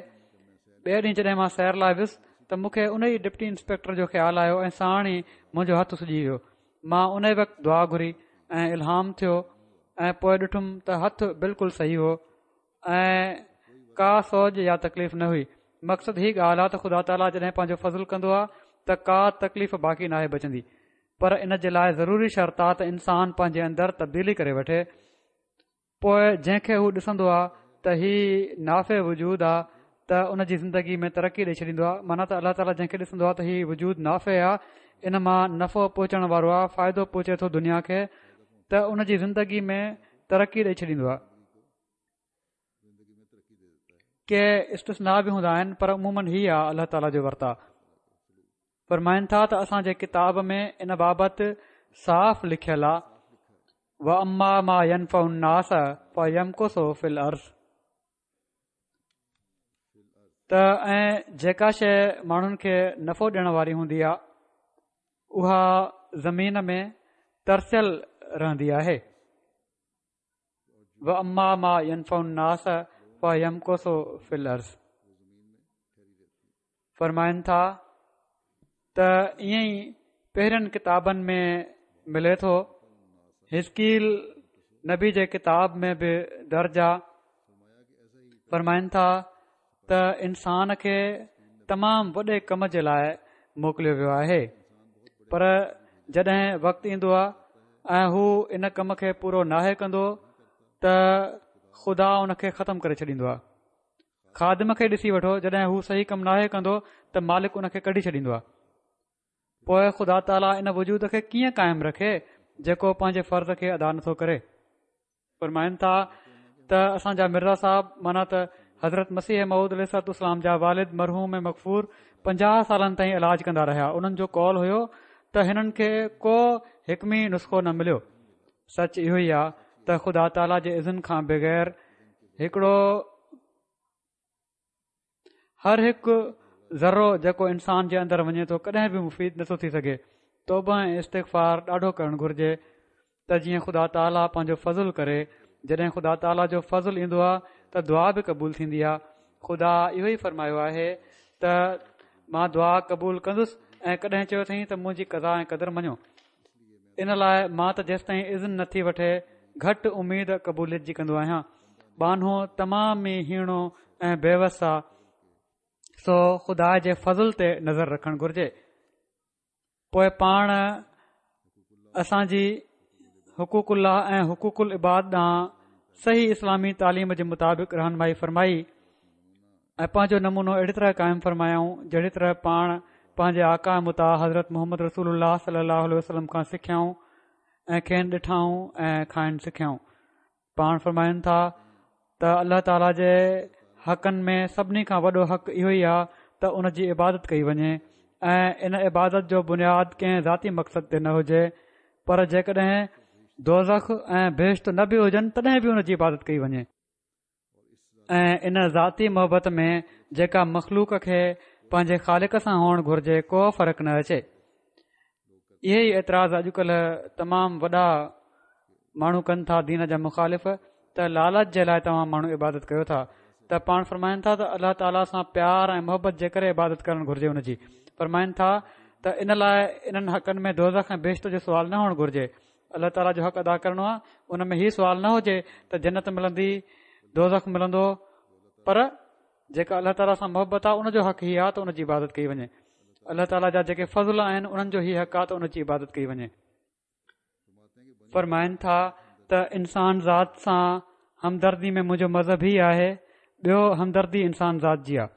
Speaker 2: ٻئي ڏينهن جڏهن مان سير لاء ويس ته مون کي ان ئي ڊپٽي انسپيڪٽر جو خيال آيو ۽ ساڻ ئي منهنجو هٿ سجي ويو مان ان ئي وقت دعا گهري ۽ الهام ٿيو ۽ پوء ڏٺم ته هٿ بلڪل صحيح هو ۽ ڪا سوڄ يا تڪليف نه هئي مقصد هي ڳالهه آهي ته خدا تعاليٰ جڏهن پنهنجو فضل ڪندو آهي ته ڪا تڪليف باقي ناهي بچندي پر ان جي لاء ضروري شرط آهي ته انسان پنهنجي اندر تبديلي ڪري وٺي پوء جنهن کي هو ڏسندو آ ته هي نافع وجود آ ته ته ان جي زندگي ۾ ترقي ڏئي ڇڏيندو آهي. معنيٰ ته الله تعاليٰ جنهن کي ڏسندو آهي ته هي وجود نافع آهي، ان مان نفعو پهچڻ وارو آهي، فائدو پهچي ٿو دنيا کي، ته ان جي زندگي ۾ ترقي ڏئي ڇڏيندو آهي. ڪي استثناء به هوندا آهن پر عموماً هي آهي الله تعاليٰ جو ورتاء. فرمائن ٿا ته اسان جي ڪتاب ۾ ان بابت صاف لکيل آهي، واما ما ينفع الناس فيمڪث في الارض، ته ۽ جيڪا شيء ماڻهن کي نفعو ڏيڻ واري هوندي آهي اها زمين ۾ ترسيل رهندي آهي. واما ما ينفع الناس فيمڪث في الارض. فرمائن ٿا ته ائين ئي پهرين ڪتابن ۾ ملي ٿو، حزقيل نبي جي ڪتاب ۾ به درج آ. فرمائن ٿا ته انسان کي تمام وڏي ڪم جي لاء موڪليو ويو آهي، پر جڏهن وقت ايندو آهي ۽ هو ان ڪم کي پورو ناهي ڪندو ته خدا ان کي ختم ڪري ڇڏيندو آهي. خادم کي ڏسي وٺو، جڏهن هو صحيح ڪم ناهي ڪندو ته مالڪ ان کي ڪڍي ڇڏيندو آهي. پوء خدا تعاليٰ ان وجود کي ڪيئن قائم رکي جيڪو پنهنجي فرض کي ادا نٿو ڪري. فرمائن ٿا ته اسان جا مرزا صاحب معنيٰ ته حضرت مسيح موعود عليه الصلوة والسلام جا والد مرحوم مغفور پنجاهه سالن تائين علاج ڪندا رهيا. انهن جو قول هيو ته هنن کي ڪو حڪمي نسخو نه مليو. سچ اهو ئي آهي ته خدا تعاليٰ جي اذن کان بغير هڪڙو هر هڪ ذرو جيڪو انسان جي اندر وڃي ٿو ڪڏهن به مفيد نٿو ٿي سگهي. توبه ۽ استغفار ڏاڍو ڪرڻ گهرجي ته جيئن خدا تعاليٰ پنهنجو فضل ڪري. جڏهن خدا تعاليٰ جو فضل ايندو آهي ته دعا به قبول ٿيندي آهي. خدا اهو ئي فرمايو آهي ته مان دعا قبول ڪندس ۽ ڪڏهن چيو اٿئين ته منهنجي قضا ۽ قدر مڃو. ان لاء مان ته جيستائين اذن نٿي وٺي گهٽ اميد قبوليت جي ڪندو آهيان. ٻانهو تمام ئي هيڻو ۽ بيوس آ، سو خدا جي فضل تي نظر رکڻ گهرجي. پوء پاڻ اسان جي حقوق الله ۽ حقوق العباد ڏانهن صحيح اسلامي تعليم جي مطابق رهنمائي فرمائي ۽ پنهنجو نمونو اهڙي طرح قائم فرمايائون جهڙي طرح پاڻ پنهنجي آقا مطاع حضرت محمد رسول الله صلي الله عليه وسلم کان سکيائون ۽ کين ڏٺائون ۽ کانئن سکيائون. پاڻ فرمائن ٿا ته الله تعاليٰ جي حقن ۾ سڀني کان وڏو حق اهو ئي آهي ته ان جي عبادت ڪئي وڃي ۽ ان عبادت جو بنياد ڪنهن ذاتي مقصد تي نه هجي، پر جيڪڏهن دوزخ ۽ بهشت نه به هجن تڏهن به ان جي عبادت ڪئي وڃي ۽ ان ذاتي محبت ۾ جيڪا مخلوق کي پنهنجي خالق سان هئڻ گهرجي ڪو فرق نه اچي. اهي ئي اعتراض اڄڪلهه تمام وڏا ماڻهو ڪن ٿا دين جا مخالف ته لالچ جي لاء توهان ماڻهو عبادت ڪيو ٿا، ته پاڻ فرمائن ٿا ته الله تعاليٰ سان پيار ۽ محبت جي ڪري عبادت ڪرڻ گهرجي. ان جي فرمائن ٿا ته ان لاء انهن حقن ۾ دوزخ ۽ بهشت جو سوال نه هئڻ گهرجي. الله تعاليٰ جو حق ادا ڪرڻو آهي، ان ۾ هي سوال نه هجي ته جنت ملندي دوزخ ملندو، پر جيڪا الله تعاليٰ سان محبت آهي ان جو حق هي آهي ته ان جي عبادت ڪئي وڃي. الله تعاليٰ جا جيڪي فضل آهن انهن جو هي حق آهي ته ان جي عبادت ڪئي وڃي. فرمائن ٿا ته انسان ذات سان همدردي ۾ منهنجو مذهب هي آهي، ٻيو همدردي انسان ذات جي آهي.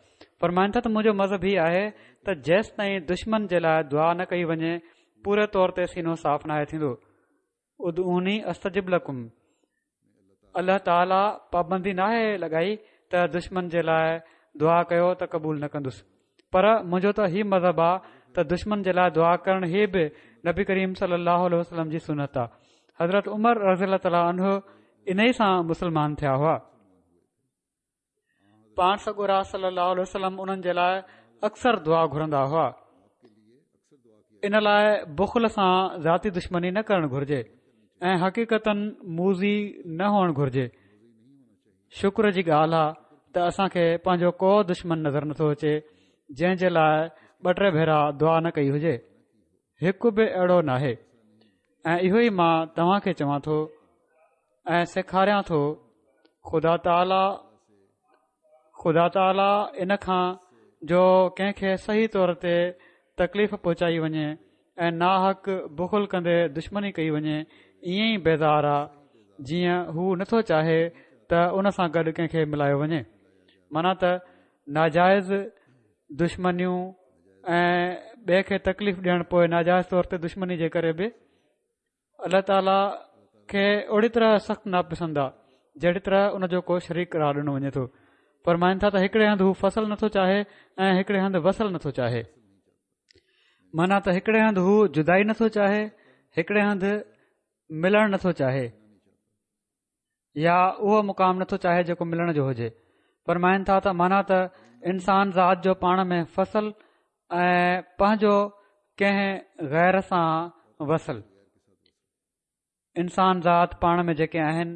Speaker 2: فرمائن ٿا ته منهنجو مذهب هي آهي ته جيستائين دشمن جي لاء دعا نه ڪئي وڃي پوري طور تي سينو صاف ناهي ٿيندو. ادعوني استجب لڪم، الله تعاليٰ پابندي ناهي لڳائي ته دشمن جي لاء دعا ڪيو ته قبول نه ڪندس، پر منهنجو ته هي مذهب آ ته دشمن جي لاء دعا ڪرڻ هي به نبي ڪريم صلي الله عليه وسلم جي سنت آ. حضرت عمر رضي الله تعاليٰ عنه انهي سان مسلمان ٿيا هئا. پاڻ سڳورا صلي الله عليه وسلم انهن جي لاء اڪثر دعا گهرندا هئا. ان لاء بخل سان ذاتي دشمني نه ڪرڻ گهرجي ۽ حقيقتاً موذي نه هئڻ گهرجي. شڪر جي ڳالهه آ ته اسان کي پنهنجو ڪو دشمن نظر نٿو اچي جنهن جي لاء ٻه ٽي ڀيرا دعا نه ڪئي هجي. هڪ به اهڙو ناهي ۽ اهو ئي مان توهان کي چوان ٿو ۽ سيکاريان ٿو. خدا تعاليٰ خدا تعاليٰ ان کان جو ڪنهن کي صحيح طور تي تڪليف پهچائي وڃي ۽ ناحق بخل ڪندي دشمني ڪئي وڃي ائين ئي بيزار آ جيئن هو نٿو چاهي ته ان سان گڏ ڪنهن کي ملايو وڃي. معنيٰ ته ناجائز دشمنيون ۽ ٻئي کي تڪليف ڏيڻ پوءِ ناجائز طور تي دشمني جي ڪري به الله تعاليٰ کي اهڙي طرح سخت ناپسند آهي جهڙي طرح ان جو ڪو شريڪ قرار ڏنو وڃي ٿو. فرمائن ٿا ته هڪڙي هنڌ هو فصل نٿو چاهي ۽ هڪڙي هنڌ وصل نٿو چاهي، معنيٰ ته هڪڙي هنڌ هو جدائي نٿو چاهي، هڪڙي هنڌ ملڻ نٿو چاهي يا اهو مقام نٿو چاهي جيڪو ملڻ جو هجي. فرمائن ٿا ته معنيٰ ته انسان ذات جو پاڻ ۾ فصل ۽ پنهنجو ڪنهن غير سان وصل. انسان ذات پاڻ ۾ جيڪي آهن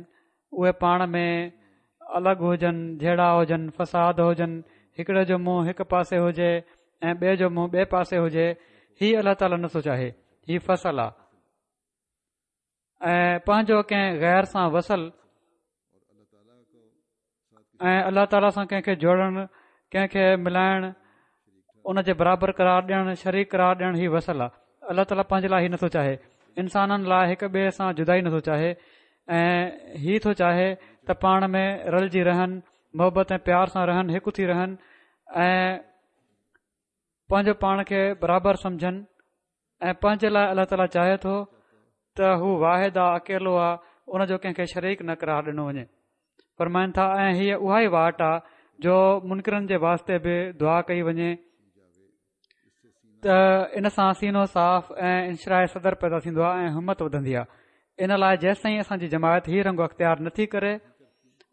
Speaker 2: اهي پاڻ ۾ الڳ هجن، جهيڙا هجن، فساد هجن، هڪڙي جو منهن هڪ پاسي هجي ۽ ٻئي جو منهن ٻئي پاسي هجي، هي الله تعاليٰ نٿو چاهي، هي فصل آهي. ۽ پنهنجو ڪنهن غير سان وصل ۽ الله تعاليٰ سان ڪنهن کي جوڙڻ، ڪنهن کي ملائڻ، ان جي برابر قرار ڏيڻ، شريڪ قرار ڏيڻ، هي وصل آهي. الله تعاليٰ پنهنجي لاءِ هي نٿو چاهي، انسانن لاءِ هڪ ٻئي سان جدائي نٿو چاهي ۽ هي ٿو چاهي ته پاڻ ۾ رلجي رهن، محبت ۽ پيار سان رهن، هڪ ٿي رهن ۽ پنهنجو پاڻ کي برابر سمجهن. ۽ پنهنجي لاءِ الله تعاليٰ چاهي ٿو ته هو واحد آهي، اڪيلو آهي، ان جو ڪنهن کي شريڪ نه قرار ڏنو وڃي. فرمائن ٿا ۽ هيءَ اها ئي واٽ آهي جو منڪرن جي واسطي به دعا ڪئي وڃي ته ان سان سينو صاف ۽ انشراح صدر پيدا ٿيندو آهي ۽ همت وڌندي آهي. ان لاءِ جيستائين اسان جي جماعت هي رنگ اختيار نٿي ڪري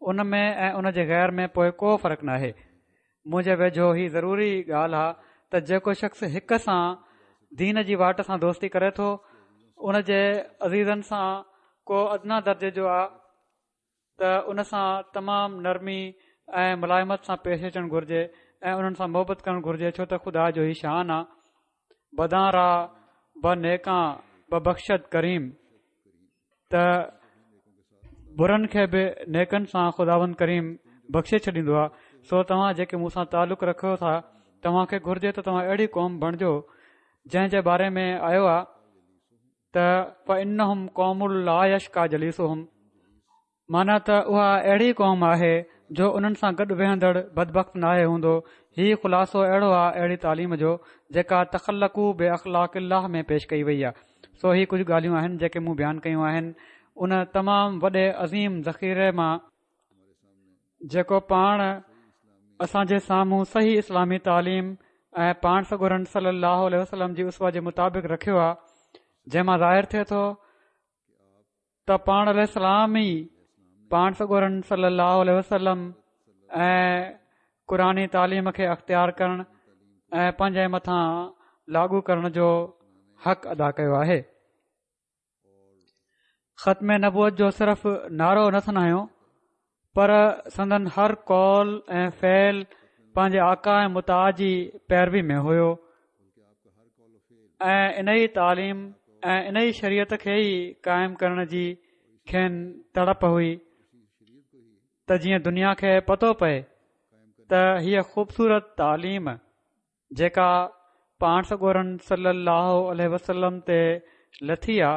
Speaker 2: ان ۾ ۽ ان جي غير ۾ پوءِ ڪو فرق ناهي. منهنجي ويجهو هي ضروري ڳالهه آهي ته جيڪو شخص هڪ سان دين جي واٽ سان دوستي ڪري ٿو ان جي عزيزن سان ڪو ادنيٰ درجي جو آهي ته ان سان تمام نرمي ۽ ملائمت سان پيش اچڻ گهرجي ۽ انهن سان محبت ڪرڻ گهرجي، ڇو ته خدا جو هي شان آهي. بدان را به نيڪان ببخشد ڪريم، ته برن کي به نيڪن سان خداوند ڪريم بخشي ڇڏيندو آهي. سو توهان جيڪي مون سان تعلق رکو ٿا توهان کي گهرجي ته توهان اهڙي قوم بڻجو جنهن جي باري ۾ آيو آهي ته فإنهم قوم لا يشقى جليسهم، معنيٰ ته اها اهڙي قوم آهي جو انهن سان گڏ ويهندڙ بدبخت ناهي هوندو. هي خلاصو اهڙو آهي اهڙي تعليم جو جيڪا تخلقوا باخلاق الله ۾ پيش ڪئي وئي آهي. سو هي ڪجهه ڳالهيون آهن جيڪي مون بيان ڪيون آهن ان تمام وڏي عظيم ذخيري مان جيڪو پاڻ اسان جي سامهون صحيح اسلامي تعليم ۽ پاڻ سڳورن صلي الله عليه وسلم جي اسوه جي مطابق رکيو آهي، جنهن مان ظاهر ٿئي ٿو ته پاڻ عليه السلام ئي پاڻ سڳورن صلي الله عليه وسلم ۽ قرآني تعليم کي اختيار ڪرڻ ۽ پنهنجي مٿان لاڳو ڪرڻ جو حق ادا ڪيو آهي. ختم نبوت جو صرف نعرو نه هنيو پر سندن هر قول ۽ فعل پنهنجي آقا ۽ مطاع جي پيروي ۾ هيو ۽ ان ئي تعليم ۽ ان ئي شريعت کي ئي قائم ڪرڻ جي کين تڙپ هئي ته جيئن دنيا کي پتو پئي ته هيءَ خوبصورت تعليم جيڪا پاڻ سڳورن صلي الله عليه وسلم تي لٿي آ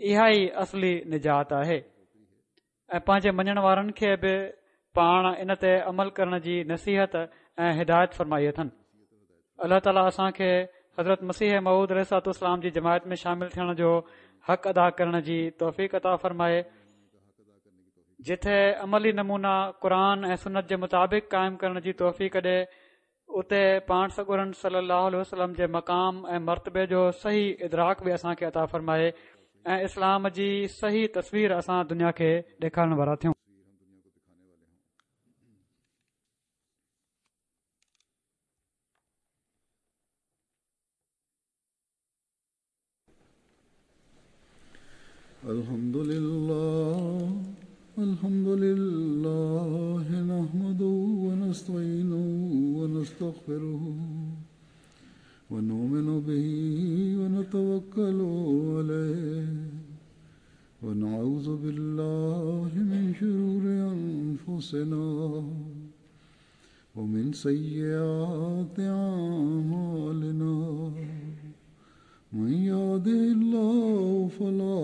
Speaker 2: اها ئي اصلي نجات آهي ۽ پنهنجي مڃڻ وارن کي به پاڻ ان تي عمل ڪرڻ جي نصيحت ۽ هدايت فرمائي اٿن. الله تعاليٰ اسان کي حضرت مسيح موعود عليه الصلوة والسلام جي جماعت ۾ شامل ٿيڻ جو حق ادا ڪرڻ جي توفيق عطا فرمائي، جتي عملي نمونا قرآن ۽ سنت جي مطابق قائم ڪرڻ جي توفيق ڏي، اتي پاڻ سڳورن صلي الله عليه وسلم جي مقام ۽ مرتبي جو صحيح ادراڪ به اسان کي عطا فرمائي ۽ اسلام جي صحيح تصوير اسان دنيا کي ڏيکارڻ وارا ٿيون.
Speaker 1: الحمد لله الحمد لله نحمده ونستعينه ونستغفره ونؤمن به ونتوكل عليه ونعوذ بالله من شرور أنفسنا ومن سيئات أعمالنا من يهده الله فلا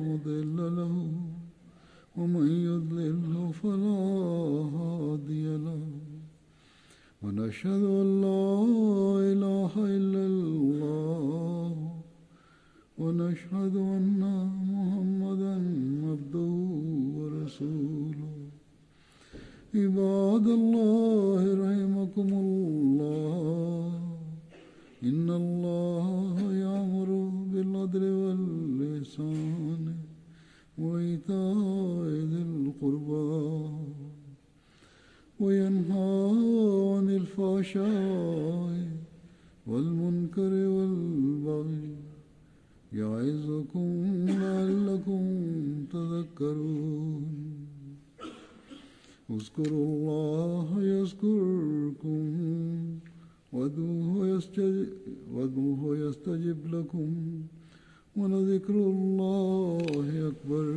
Speaker 1: مضل له ومن يضلل فلا هادي له ونشهد أن لا إله إلا الله ونشهد أن محمدا عبده ورسوله. عباد الله رحمكم الله، إن الله يأمر بالعدل والإحسان وإيتاء ذي القربى وينهى عن الفحشاء والمنكر والبغي يعظكم لعلكم تذكرون. اذكروا الله يذكركم وادعوه يستجب لكم ولذكر الله أكبر.